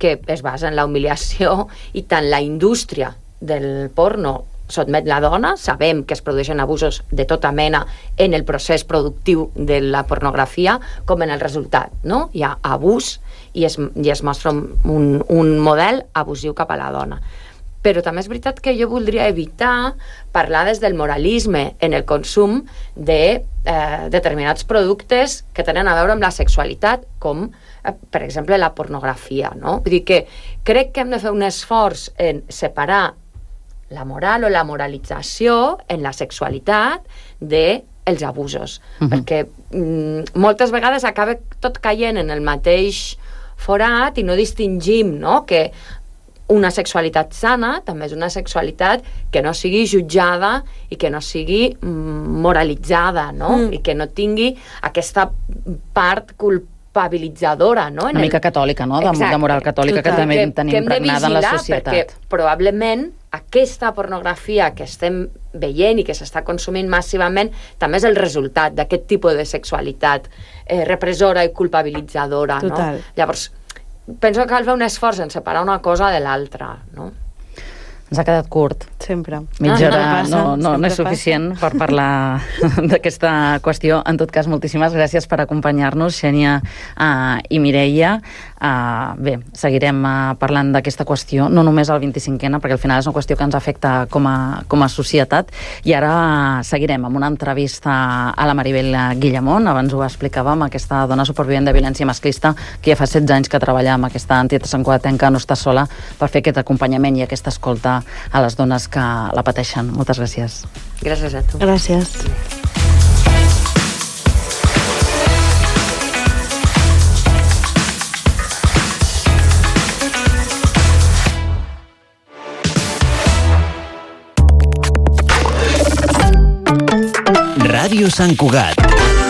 que es basa en la humiliació, i tant la indústria del porno sotmet la dona, sabem que es produeixen abusos de tota mena en el procés productiu de la pornografia, com en el resultat, no? Hi ha abús i es, i es mostra un, un model abusiu cap a la dona. Però també és veritat que jo voldria evitar parlar des del moralisme en el consum de eh, determinats productes que tenen a veure amb la sexualitat, com, eh, per exemple, la pornografia, no? Vull dir que crec que hem de fer un esforç en separar la moral o la moralització en la sexualitat de els abusos, uh-huh. perquè mm, moltes vegades acaba tot caient en el mateix forat i no distingim, no?, que una sexualitat sana també és una sexualitat que no sigui jutjada i que no sigui moralitzada, no? Mm. I que no tingui aquesta part culpabilitzadora, no? Una en mica el... catòlica, no? De, de moral catòlica. Total. Que també que, tenim impregnada en la societat. Perquè probablement aquesta pornografia que estem veient i que s'està consumint massivament també és el resultat d'aquest tipus de sexualitat eh, repressora i culpabilitzadora, Total. No? Llavors, penso que cal fer un esforç en separar una cosa de l'altra, no? Ens ha quedat curt. Sempre. Mitja hora ah, no, no, no, no és suficient passa. Per parlar d'aquesta qüestió. En tot cas, moltíssimes gràcies per acompanyar-nos, Xènia uh, i Mireia. Uh, bé, seguirem uh, parlant d'aquesta qüestió, no només al vint-i-cinquena, perquè al final és una qüestió que ens afecta com a, com a societat. I ara uh, seguirem amb una entrevista a la Maribel Guillamón. Abans ho explicàvem, aquesta dona supervivent de violència masclista que ja fa setze anys que treballa amb aquesta entitat santcugatenca No Estàs Sola per fer aquest acompanyament i aquesta escolta a les dones que la pateixen. Moltes gràcies. Gràcies a tu. Gràcies. Ràdio Sant Cugat,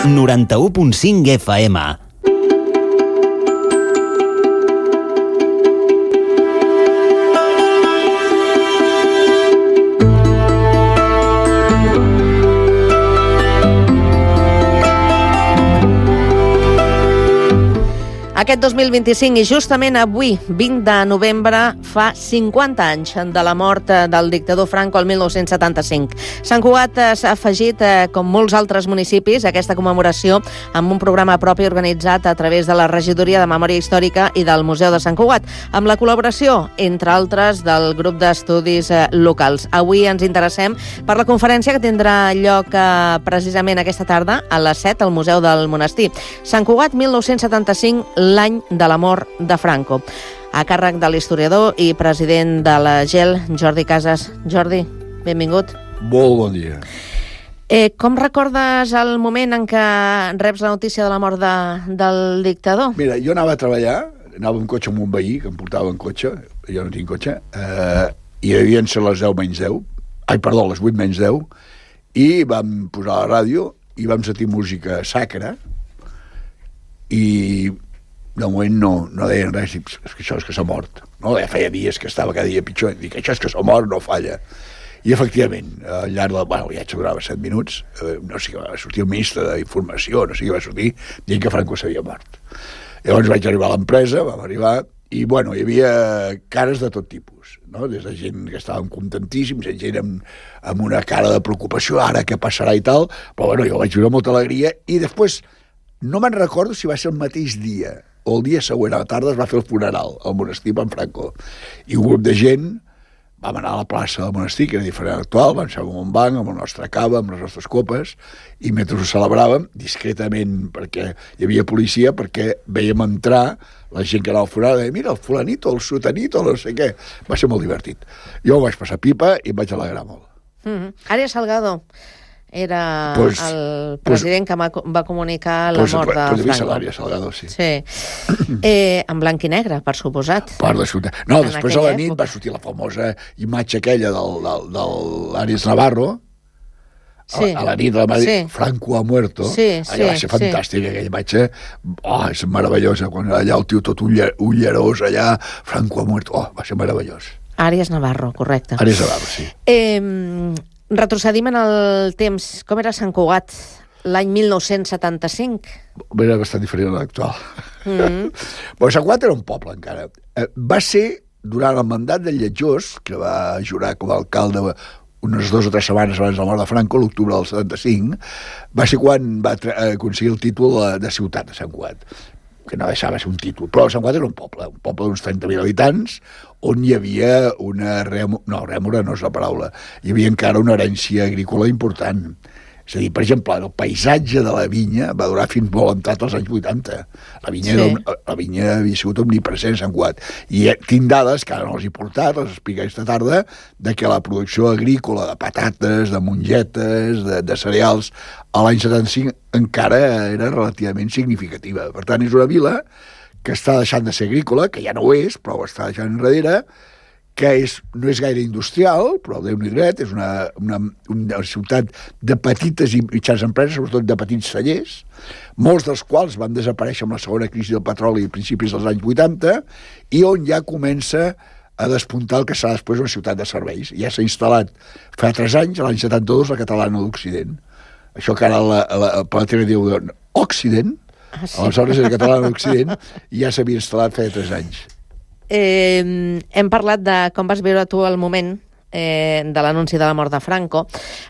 noranta-u punt cinc F M. Aquest dos mil vint-i-cinc i justament avui, vint de novembre, fa cinquanta anys de la mort del dictador Franco el mil nou-cents setanta-cinc. Sant Cugat s'ha afegit, com molts altres municipis, a aquesta commemoració amb un programa propi organitzat a través de la Regidoria de Memòria Històrica i del Museu de Sant Cugat, amb la col·laboració, entre altres, del grup d'estudis locals. Avui ens interessem per la conferència que tindrà lloc precisament aquesta tarda a les set al Museu del Monestir. Sant Cugat, mil nou-cents setanta-cinc, l'any de la mort de Franco. A càrrec de l'historiador i president de la G E L, Jordi Casas. Jordi, benvingut. Molt bon dia. Eh, com recordes el moment en què reps la notícia de la mort de, del dictador? Mira, jo anava a treballar, anava en cotxe amb un veí, que em portava en cotxe, jo no tinc cotxe, eh, i devien ser les deu menys deu, ai, perdó, les vuit menys deu, i vam posar la ràdio i vam sentir música sacra, i de moment no, no deien res, dic, és que això és que s'ha mort. No? Ja feia dies que estava cada dia pitjor, dic, això és que s'ha mort, no falla. I efectivament, al llarg del... Bueno, el viatge durava set minuts, eh, no sé què va sortir el ministre d'Informació, no sé què va sortir, dient que Franco s'havia mort. Llavors vaig arribar a l'empresa, vam arribar, i bueno, hi havia cares de tot tipus, no? Des de gent que estaven contentíssims, gent amb, amb una cara de preocupació, ara què passarà i tal, però bueno, jo vaig viure molta alegria, i després no me'n recordo si va ser el mateix dia o el dia següent a la tarda es va fer el funeral al monestir en Franco, i un grup de gent vam anar a la plaça del monestir, que era diferent actual, vam ser amb un banc, amb la nostra cava, amb les nostres copes, i mentre ho celebràvem, discretament, perquè hi havia policia, perquè veiem entrar la gent que anava al funeral, i mira, el fulanito, el sotanito, no sé què. Va ser molt divertit. Jo ho vaig passar pipa i em vaig alegrar molt. Mm-hmm. Arias Salgado era pues, el president pues, que va, va comunicar la pues, mort de pues, Franco. Arias Salgado, sí. Sí. Eh, en blanc i negre, per suposat. Per la ciutat. No, en després a la nit època va sortir la famosa imatge aquella del, del, del Arias Navarro, sí. a, a la nit de la Madrid, sí. Franco ha muerto. Sí, allà sí, va ser fantàstica, sí. Aquella imatge. Oh, és meravellosa, quan allà el tio tot ullerós, allà, Franco ha muerto. Oh, va ser meravellós. Arias Navarro, correcte. Arias Navarro, sí. Eh, retrocedim en el temps. Com era Sant Cugat l'any mil nou-cents setanta-cinc? Era bastant diferent a l'actual. Mm-hmm. Però Sant Cugat era un poble, encara. Eh, va ser, durant el mandat del Lletjós, que va jurar com a alcalde unes dues o tres setmanes abans de la mort de Franco, l'octubre del setanta-cinc, va ser quan va aconseguir el títol de ciutat de Sant Cugat, que no deixava ser un títol. Però Sant Cugat era un poble, un poble d'uns trenta mil habitants, on hi havia una... Rèmora, no, rèmora no és la paraula. Hi havia encara una herència agrícola important. És a dir, per exemple, el paisatge de la vinya va durar fins molt entrat als anys vuitanta. La vinya, sí. era, la vinya havia sigut omnipresent a Sant Cugat. I tinc dades, que ara no els he portat, les explico aquesta tarda, de que la producció agrícola de patates, de mongetes, de, de cereals, a l'any setanta-cinc encara era relativament significativa. Per tant, és una vila que està deixant de ser agrícola, que ja no ho és, però ho està deixant enrere, que és, no és gaire industrial, però Déu-n'hi dret, és una, una, una ciutat de petites i mitjanes empreses, sobretot de petits cellers, molts dels quals van desaparèixer amb la segona crisi del petroli a principis dels anys vuitanta, i on ja comença a despuntar el que serà després una ciutat de serveis. Ja s'ha instal·lat fa tres anys, l'any setanta-dos, la Catalana d'Occident. Això que ara la, la, la Palatera diu Occident, ah, sí. Aleshores era Catalana d'Occident, i ja s'havia instal·lat fa tres anys. Eh, hem parlat de com vas viure tu el moment eh, de l'anunci de la mort de Franco,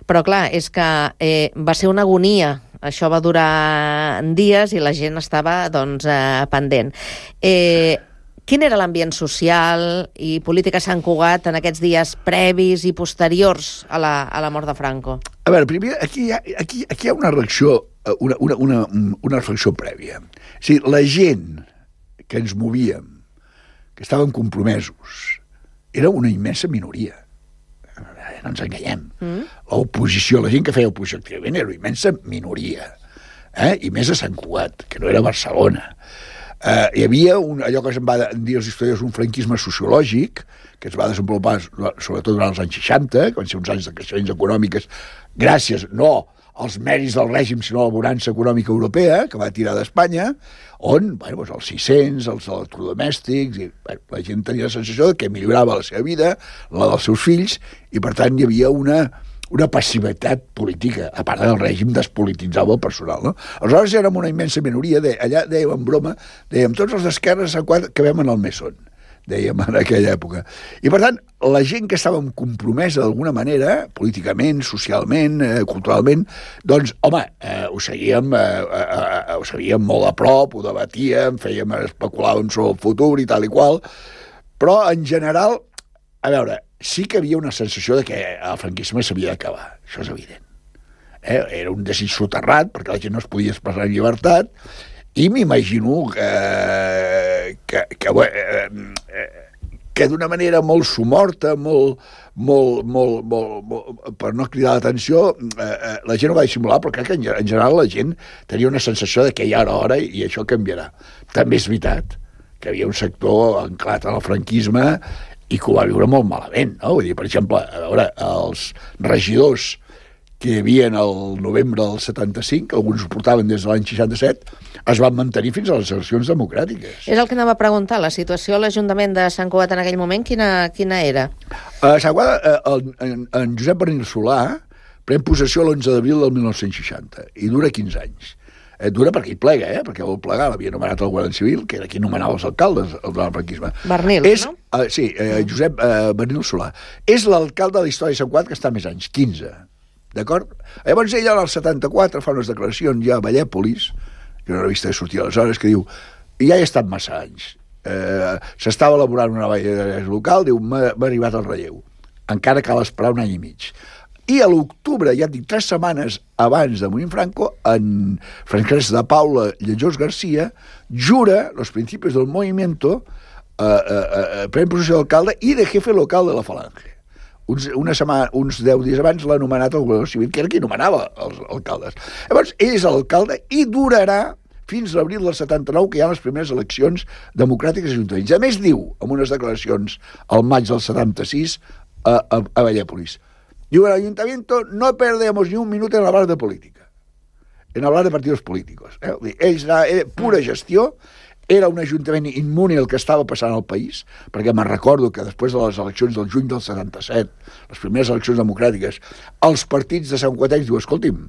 però clar, és que eh, va ser una agonia. Això va durar dies i la gent estava doncs, eh, pendent. Eh, quin era l'ambient social i polític a Sant Cugat en aquests dies previs i posteriors a la, a la mort de Franco? A veure, primer, aquí hi ha, aquí, aquí hi ha una reacció, una, una, una, una reflexió prèvia. O sigui, la gent que ens movíem, que estaven compromesos, era una immensa minoria. No ens enganyem. Mm. L'oposició, la gent que feia oposició activament era una immensa minoria. Eh? I més a Sant Cugat, que no era Barcelona. Eh, hi havia un, allò que se'n va dir els historiadors, un franquisme sociològic, que es va desenvolupar sobretot durant els anys seixanta, que van ser uns anys de creixements econòmiques, gràcies, no els mèrits del règim, sinó la bonança econòmica europea, que va tirar d'Espanya, on, bueno, doncs els sis-cents, els electrodomèstics, i, bueno, la gent tenia la sensació que millorava la seva vida, la dels seus fills, i per tant hi havia una, una passivitat política, a part del règim despolititzava el personal, no? Aleshores érem una immensa minoria, de, allà dèiem en broma, dèiem tots els d'esquerres que vam en el Mesón, dèiem en aquella època. I per tant, la gent que estàvem compromesa d'alguna manera, políticament, socialment, eh, culturalment, doncs, home, eh, ho seguíem eh, eh, ho seguíem molt a prop, ho debatíem, fèiem, especulàvem sobre el futur i tal i qual, però en general, a veure, sí que havia una sensació de que el franquisme s'havia d'acabar, això és evident. Eh? Era un desig soterrat, perquè la gent no es podia expressar en llibertat, i m'imagino que, que, que, que, que d'una manera molt somorta, molt, molt, molt, molt, molt, per no cridar l'atenció, eh, la gent ho va dissimular, però crec que en, en general la gent tenia una sensació de que ja era hora i això canviarà. També és veritat que hi havia un sector anclat en el franquisme i que ho va viure molt malament, no? Vull dir, per exemple, a veure, els regidors que hi havia el novembre del setanta-cinc, alguns ho portaven des de l'any seixanta-set, es van mantenir fins a les eleccions democràtiques. És el que anava a preguntar, la situació a l'Ajuntament de Sant Cugat en aquell moment, quina, quina era? A Sant Cugat, en, en Josep Bernil Solà pren possessió l'onze d'abril del mil nou-cents seixanta i dura quinze anys. Eh, dura perquè hi plega, eh? Perquè vol plegar, l'havia nomenat el Guàrdia Civil, que era qui nomenava els alcaldes del franquisme. Bernil, és, no? Uh, sí, eh, Josep uh, Bernil Solà. És l'alcalde de la història de Sant Cugat que està més anys, quinze. D'acord? Llavors ell, al setanta-quatre, fa unes declaracions ja a Vallèpolis, que una revista que sortia aleshores, que diu, ja he estat massa anys. Eh, S'estava elaborant una nova llei local, diu, m'ha arribat el relleu. Encara cal esperar un any i mig. I a l'octubre, ja et dic, tres setmanes abans de morir Franco, en Francesc de Paula Lletjós Garcia jura los principios del movimiento, eh, eh, eh, pren possessió d'alcalde i de jefe local de la Falange. Uns, una setmana, uns deu dies abans l'ha nomenat el Guàrdia Civil, que era qui nomenava els alcaldes. Llavors, ell és l'alcalde i durarà fins l'abril del setanta-nou, que hi ha les primeres eleccions democràtiques a ajuntaments. A més, diu, en unes declaracions al maig del setanta-sis a, a, a Vallèpolis, diu, el ayuntamiento no perdemos ni un minuto en hablar de política, en hablar de partidos políticos. Eh? Ells, era pura gestió, era un ajuntament immune el que estava passant al país, perquè me'n recordo que després de les eleccions del juny del setanta-set, les primeres eleccions democràtiques, els partits de Sant Cuatencs diuen, escolti'm,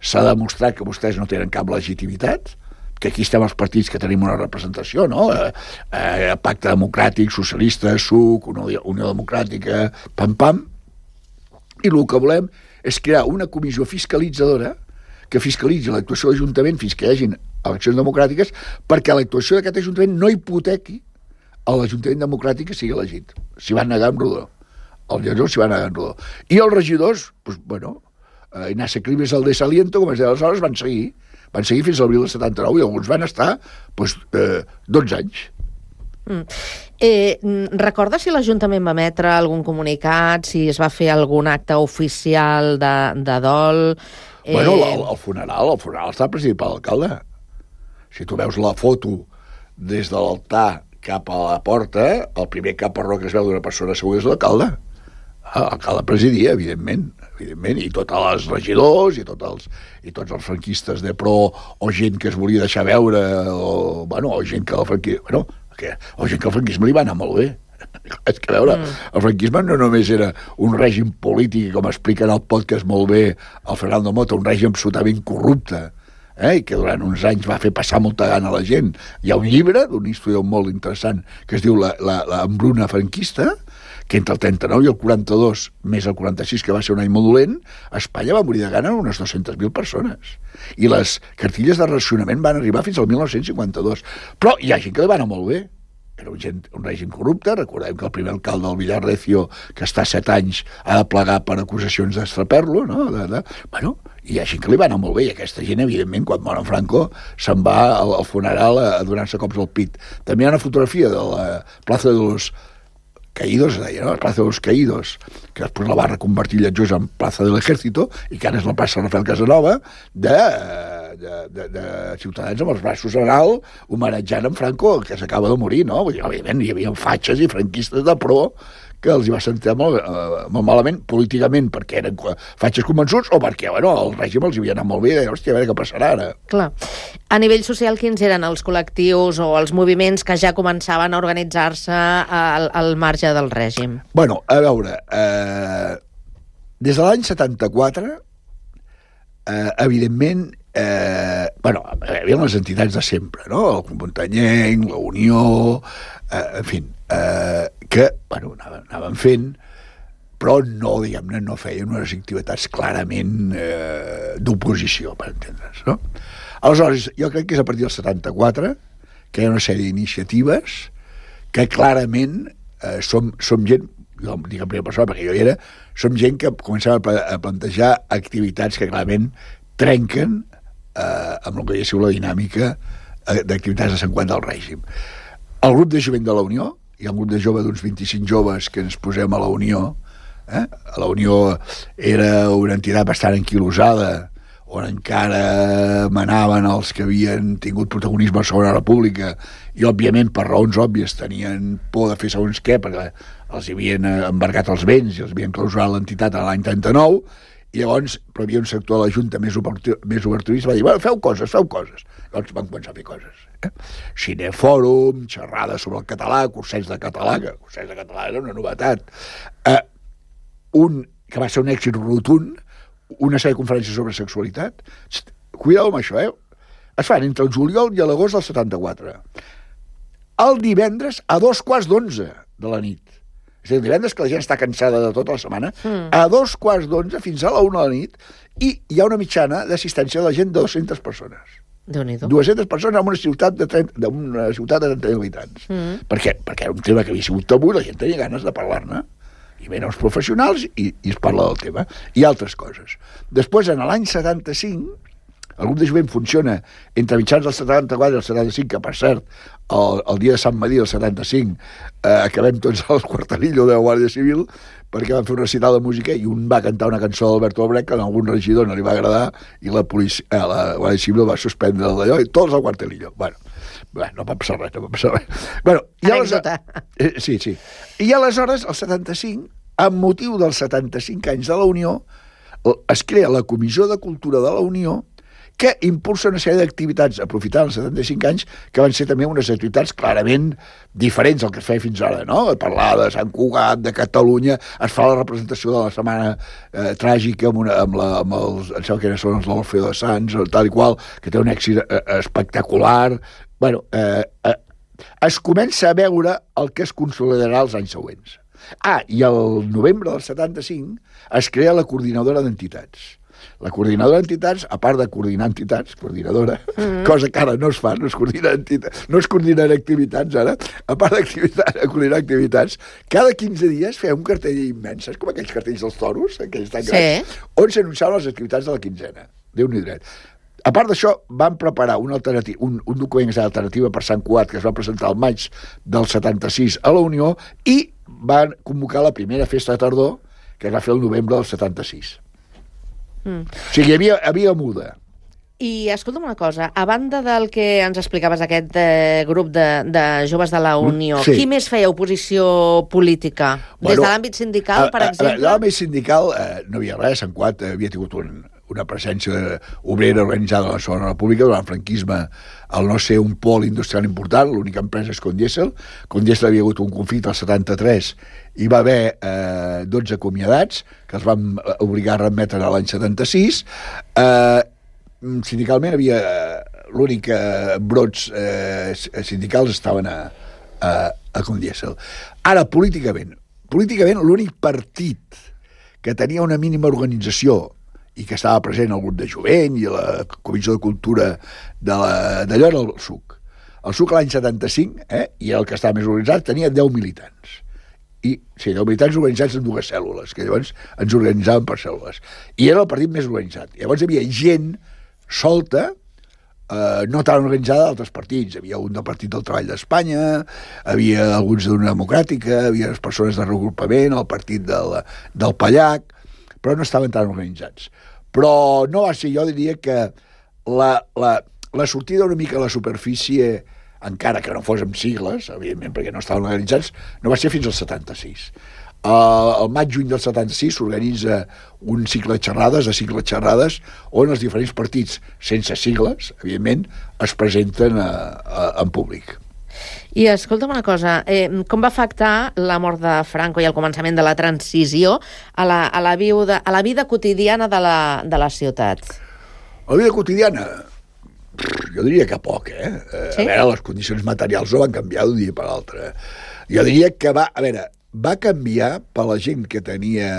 s'ha demostrat que vostès no tenen cap legitimitat, que aquí estem els partits que tenim una representació, no? Eh, eh, Pacte Democràtic, Socialista, S U C, Unió, Unió Democràtica, pam-pam, i el que volem és crear una comissió fiscalitzadora que fiscalitzi l'actuació de l'Ajuntament fins que hi hagin eleccions democràtiques, perquè l'actuació d'aquest Ajuntament no hipotequi a l'Ajuntament democràtic que sigui elegit. S'hi van negar en rodó. Els lletjors s'hi van negar en rodó. I els regidors, pues, bueno, eh, Ignacio Climes, el de Saliento, com es deia aleshores, van seguir. Van seguir fins a l'abril del setanta-nou i alguns van estar pues, eh, dotze anys. Mm. Eh, recorda si l'Ajuntament va emetre algun comunicat, si es va fer algun acte oficial de, de dol? Eh... Bueno, el, el funeral, el funeral està presidit per l'alcalde. Si tu veus la foto des de l'altar cap a la porta, el primer caparró que es veu d'una persona segur és l'alcalde. Ah, l'alcalde presidia, evidentment, evidentment, i tots els regidors, i tots els, i tots els franquistes de pro, o gent que es volia deixar veure, o, bueno, o gent que el franquisme, bueno, que, o gent que el franquisme li va anar molt bé. És que, a veure, mm. el franquisme no només era un règim polític, com explica en el podcast molt bé el Fernando Mota, un règim absolutament corrupte, eh, i que durant uns anys va fer passar molta gana a la gent. Hi ha un llibre d'un historiador molt interessant que es diu La, la, la embruna franquista, que entre el trenta-nou i el quaranta-dos, més el quaranta-sis, que va ser un any molt dolent, a Espanya va morir de gana unes dues-centes mil persones. I les cartilles de racionament van arribar fins al mil nou-cents cinquanta-dos. Però hi ha gent que li va anar molt bé. Era un, gent, un règim corrupte. Recordem que el primer alcalde del Villar Recio, que està set anys, ha de plegar per acusacions d'estraper-lo, no? De, de... Bueno, hi ha gent que li va anar molt bé, i aquesta gent, evidentment, quan mor en Franco, se'n va al, al funeral a, a donar-se cops al pit. També hi ha una fotografia de la plaça de los Caídos, deia, no? La plaça de los Caídos, que després la va reconvertir Lletjós en plaça de l'Ejército, i que ara és la plaça Rafael Casanova, de, de, de, de ciutadans amb els braços en alt, homenatjant en Franco, que s'acaba de morir, no? Vull dir, òbviament, hi havia fatxes i franquistes de pro que els hi va sentir molt, eh, molt malament políticament, perquè eren fatxes convençuts o perquè, bueno, el règim els hi havia anat molt bé i deia, hòstia, a veure què passarà ara. Clar. A nivell social, quins eren els col·lectius o els moviments que ja començaven a organitzar-se al, al marge del règim? Bueno, a veure, eh, des de l'any setanta-quatre, eh, evidentment, eh, bueno, hi havia les entitats de sempre, no? El Club Muntanyenc, la Unió, eh, en fi, eh, que, bueno, anaven, anaven fent, però no, diguem-ne, no feien unes activitats clarament eh, d'oposició, per entendre's, no? Aleshores, jo crec que és a partir del setanta-quatre que hi ha una sèrie d'iniciatives que clarament eh, som, som gent, jo dic en primera persona perquè jo hi era, som gent que comencem a, a plantejar activitats que clarament trenquen eh, amb el que hauria sigut la dinàmica eh, d'activitats de Sant Quant del règim. El grup de jovent de la Unió, hi ha un grup de jove d'uns vint-i-cinc joves que ens posem a la Unió. Eh? La Unió era una entitat bastant anquilosada, on encara manaven els que havien tingut protagonisme a la Segona República i, òbviament, per raons òbvies, tenien por de fer segons què, perquè els havien embargat els béns i els havien clausurat l'entitat a l'any trenta-nou, i llavors però hi havia un sector de la Junta més, obertur, més oberturista, va dir, bueno, feu coses, feu coses. Llavors van començar a fer coses. Eh? Cinefòrum, xerrades sobre el català, cursets de català, que cursets de català era una novetat. Eh, un que va ser un èxit rotund, una sèrie de conferències sobre sexualitat. Cuidao amb això, eh? Es fan entre el juliol i l'agost del setanta-quatre. El divendres a dos quarts d'onze de la nit. És a dir, el divendres que la gent està cansada de tota la setmana, mm. a dos quarts d'onze fins a la una de la nit, i hi ha una mitjana d'assistència de la gent de dues-centes persones. Déu-n'hi-do. dues-centes persones en una ciutat de trenta, d'una ciutat de trenta mil habitants. Mm. Per què? Perquè era un tema que havia sigut tabú i la gent tenia ganes de parlar-ne. I venen els professionals i, i es parla del tema. I altres coses. Després, en l'any setanta-cinc, el grup de jovent funciona entre mitjans del setanta-quatre i el setanta-cinc, que, per cert, el, el dia de Sant Madí del setanta-cinc eh, acabem tots al quartelillo de la Guàrdia Civil perquè van fer un recital de música i un va cantar una cançó d'Alberto Albrecht que a algun regidor no li va agradar i la, policia, eh, la Guàrdia Civil va suspendre d'allò i tots al quartelillo. Bueno, Bé, no va passar res, no va passar res. Bueno, i Anècdota. Eh, sí, sí. I aleshores, el setanta-cinc, amb motiu dels setanta-cinc anys de la Unió, es crea la Comissió de Cultura de la Unió que impulsa una sèrie d'activitats, aprofitant els setanta-cinc anys, que van ser també unes activitats clarament diferents del que es feia fins ara, no? Parlar de Sant Cugat, de Catalunya, es fa la representació de la Setmana eh, Tràgica amb, una, amb, la, amb els, em sembla que són els l'Orfeo de Sants, tal i qual, que té un èxit eh, espectacular. Bueno, eh, eh, es comença a veure el que es consolidarà els anys següents. Ah, i el novembre del setanta-cinc es crea la Coordinadora d'Entitats. La Coordinadora d'Entitats, a part de coordinar entitats, coordinadora, mm-hmm. cosa que ara no es fa, no es coordina entitats, no es coordinen activitats ara, a part de coordinar activitats, cada quinze dies feia un cartell immens, com aquells cartells dels toros, aquells tan grans, sí. On s'anunciaven les activitats de la quinzena. Déu-n'hi dret. A part d'això, van preparar un, un, un document que és Alternativa per Sant Cugat, que es va presentar al maig del setanta-sis a la Unió, i van convocar la primera festa de tardor, que es va fer el novembre del setanta-sis. Mm. O sigui, hi havia, havia muda. I escolta'm una cosa, a banda del que ens explicaves aquest eh, grup de, de joves de la Unió, sí. Qui més feia oposició política? Bueno, des de l'àmbit sindical, per exemple? A l'àmbit sindical eh, no havia res, Sant Cugat havia tingut un, una presència obrera organitzada a la Segona República durant el franquisme, al no ser un pol industrial important, l'única empresa és Condiesel. Condiesel havia hagut un conflicte al setanta-tres i va haver eh, dotze acomiadats que els van obligar a remetre a l'any setanta-sis. Eh, sindicalment havia l'únic eh, brots eh, sindicals estaven a, a, a Condiesel. Ara, políticament, políticament l'únic partit que tenia una mínima organització i que estava present al grup de jovent i a la Comissió de Cultura d'allò era el S U C. El S U C l'any setanta-cinc, eh, i el que estava més organitzat, tenia deu militants. I, sí, deu militants organitzats en dues cèl·lules, que llavors ens organitzaven per cèl·lules. I era el partit més organitzat. Llavors hi havia gent solta, eh, no tan organitzada d'altres partits. Hi havia un del Partit del Treball d'Espanya, havia alguns d'una democràtica, hi havia les persones de regrupament, el partit del, del Pallac, però no estaven tan organitzats. Però no va ser, jo diria que la, la, la sortida una mica a la superfície, encara que no fos amb sigles, evidentment perquè no estaven organitzats, no va ser fins al setanta-sis. Uh, el maig-juny del setanta-sis s'organitza un cicle de xerrades, de cicle de xerrades, on els diferents partits, sense sigles, evidentment, es presenten a, a, en públic. I escolta'm una cosa, eh, com va afectar la mort de Franco i el començament de la transició a la, a la, vida, a la vida quotidiana de la, de la ciutat? La vida quotidiana? Jo diria que poc, eh? Sí? A veure, les condicions materials no van canviar d'un dia per l'altre. Jo diria que va, a veure, va canviar per la gent que tenia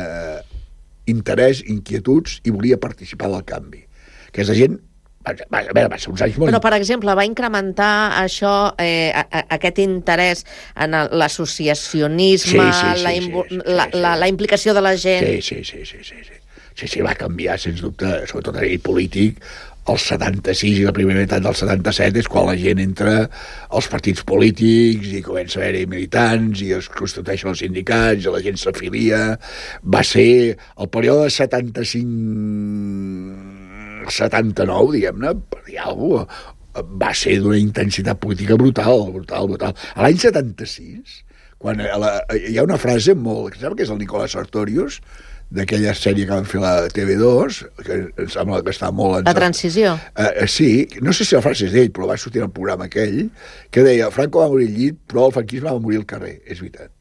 interès, inquietuds i volia participar del canvi. Aquesta gent a veure, va ser uns anys molt... Però, per exemple, va incrementar això, eh, a, a, aquest interès en l'associacionisme, sí, sí, sí, la, sí, sí, la, sí, sí. La, la implicació de la gent... Sí, sí, sí, sí, sí, sí. Sí, sí, va canviar, sens dubte, sobretot a nivell polític. El setanta-sis i la primera meitat del setanta-set és quan la gent entra als partits polítics i comença a haver-hi militants i es constitueixen els sindicats i la gent s'afilia. Va ser el període setanta-cinc... setanta-nou, diguem-ne, per dir alguna cosa, va ser d'una intensitat política brutal, brutal, brutal. A l'any setanta-sis, quan la, hi ha una frase molt... Sembla que és el Nicolás Sartorius, d'aquella sèrie que van fer la T V dos, que em sembla que està molt... La transició. Uh, sí, no sé si la frase és d'ell, però va sortir al programa aquell, que deia, Franco va morir al llit, però el franquisme va morir al carrer, és veritat.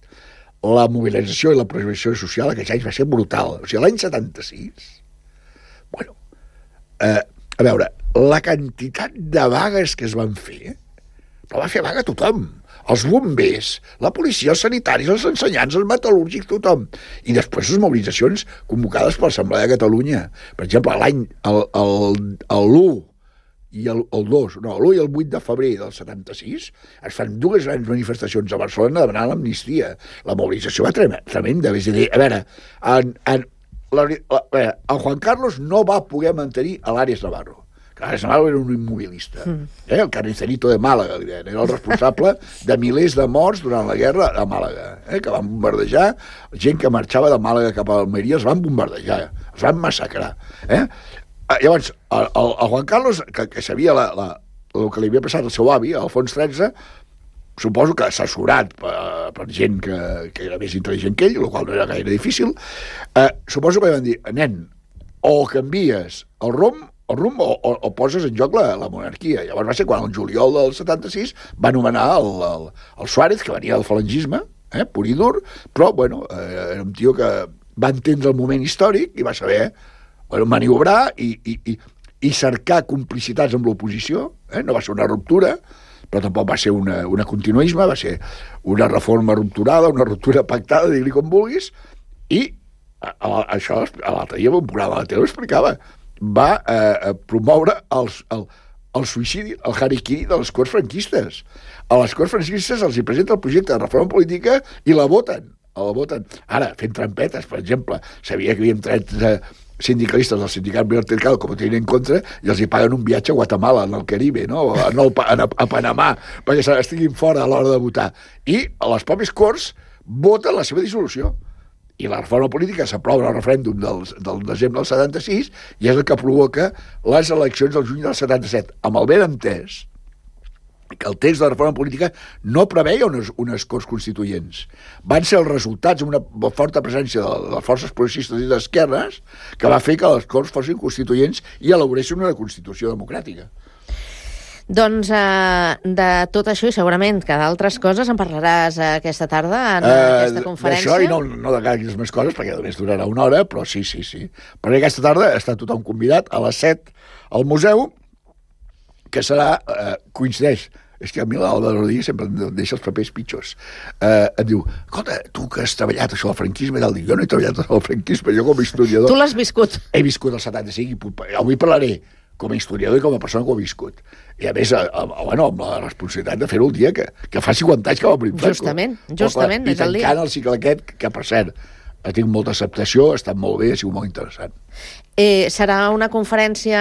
La mobilització i la projecció social aquests anys va ser brutal. O sigui, l'any setanta-sis, bueno, Uh, a veure, la quantitat de vagues que es van fer, però va fer vaga tothom. Els bombers, la policia, els sanitaris, els ensenyants, els metal·lúrgics, tothom. I després les mobilitzacions convocades per l'Assemblea de Catalunya. Per exemple, l'any, l'u i el, el dos, no, l'u i el vuit de febrer del setanta-sis, es fan dues grans manifestacions a Barcelona demanant l'amnistia. La mobilització va tremenda. És a dir, a veure, en, en La, la, el Juan Carlos no va poder mantenir a l'Àries Navarro. L'Àries Navarro era un immobilista. Mm. Eh? El carnicerito de Màlaga, era el responsable de milers de morts durant la guerra a Màlaga, eh? Que van bombardejar, gent que marxava de Màlaga cap a Almeria, els van bombardejar, els van massacrar. Eh? Llavors, el, el, el Juan Carlos, que, que sabia la, la, el que li havia passat al seu avi, Alfons tretze, suposo que assessorat per, per gent que, que era més intel·ligent que ell, el qual no era gaire difícil, eh, suposo que van dir, nen, o canvies el rumb, el rumb o, o, o poses en joc la, la monarquia. Llavors va ser quan el juliol del setanta-sis va nomenar el, el, el Suárez, que venia del falangisme, eh, pur i dur, però, bueno, eh, era un tio que va entendre el moment històric i va saber bueno, maniobrar i, i, i, i cercar complicitats amb l'oposició, eh, no va ser una ruptura, però tampoc va ser una, una continuisme, va ser una reforma rupturada, una ruptura pactada, digui com vulguis, i a, a, això a l'altre dia un programa de la tele ho explicava, va eh, promoure els, el, el suïcidi, el harikiri de les corts franquistes. A les corts franquistes els hi presenta el projecte de reforma política i la voten. La voten. Ara, fent trampetes, per exemple, sabia que havíem tret eh, sindicalistes del sindicat vertical com ho tenien en contra i els hi paguen un viatge a Guatemala, en el Caribe, no? a, a, a Panamà, perquè estiguin fora a l'hora de votar. I a les pròpies Corts voten la seva dissolució. I la reforma política s'aprova al referèndum del, del desembre del setanta-sis i és el que provoca les eleccions del juny del setanta-set, amb el ben entès que el text de la reforma política no preveia unes, unes Corts Constituents. Van ser els resultats d'una forta presència de, de les forces progressistes i d'esquerres que va fer que les Corts fossin constituents i elaboressin una Constitució democràtica. Doncs eh, de tot això i segurament que d'altres coses en parlaràs aquesta tarda en uh, aquesta conferència. D'això i no, no de gaires més coses perquè només durarà una hora, però sí, sí, sí. Perquè aquesta tarda està tothom convidat a les set al museu, que serà, eh, coincideix, és que a mi l'Alba Rodríguez sempre em deixa els papers pitjors. Eh, em diu, escolta, tu que has treballat això del franquisme, i tal, dic, jo no he treballat això del franquisme, jo com a historiador... Tu l'has viscut. He viscut el setanta-cinc i avui parlaré com a historiador i com a persona que ho he viscut. I a més, a, a, bueno, amb la responsabilitat de fer-ho el dia que, que fa cinquanta anys que va morir Franco. Justament, justament, és el dia. I tancant el cicle aquest, que, que per cert, ha tingut molta acceptació, ha estat molt bé, ha sigut molt interessant. Eh, serà una conferència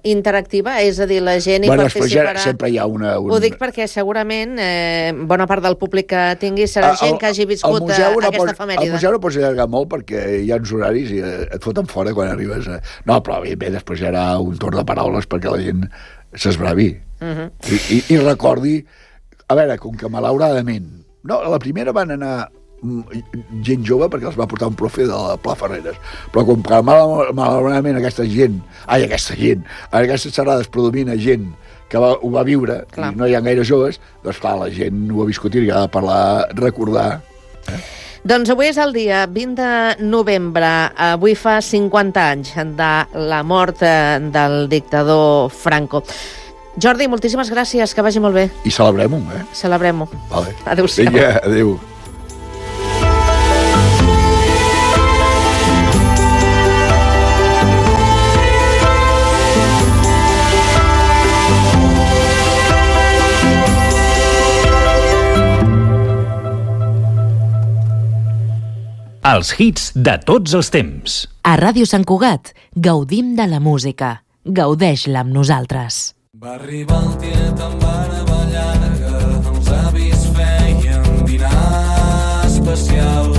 interactiva? És a dir, la gent hi bueno, participarà... Ja sempre hi ha una... Un... Ho dic perquè segurament eh, bona part del públic que tingui serà el, gent que hagi viscut museu aquesta pot, efemèride. El museu no pots allargar molt perquè hi ha uns horaris i et foten fora quan arribes. A... No, però bé, després hi haurà un torn de paraules perquè la gent s'esbravi. Uh -huh. I, i, I recordi... A veure, com que malauradament... No, a la primera van anar gent jove perquè els va portar un profe de la Pla Ferreres, però com que mal, malauradament aquesta gent ai, aquesta gent, en aquestes xerrades predomina gent que va, ho va viure, clar. I no hi ha gaire joves, doncs clar, la gent ho ha viscut i ha de parlar, recordar. Eh? Doncs avui és el dia vint de novembre, avui fa cinquanta anys de la mort del dictador Franco. Jordi, moltíssimes gràcies, que vagi molt bé. I celebrem-ho, eh? Celebrem-ho. Vale. Adéu-siau. Vinga, adéu. Els hits de tots els temps. A Ràdio Sant Cugat gaudim de la música. Gaudeix-la amb nosaltres. Va arribar el tiet amb barba llarga, els avis feien dinar especial.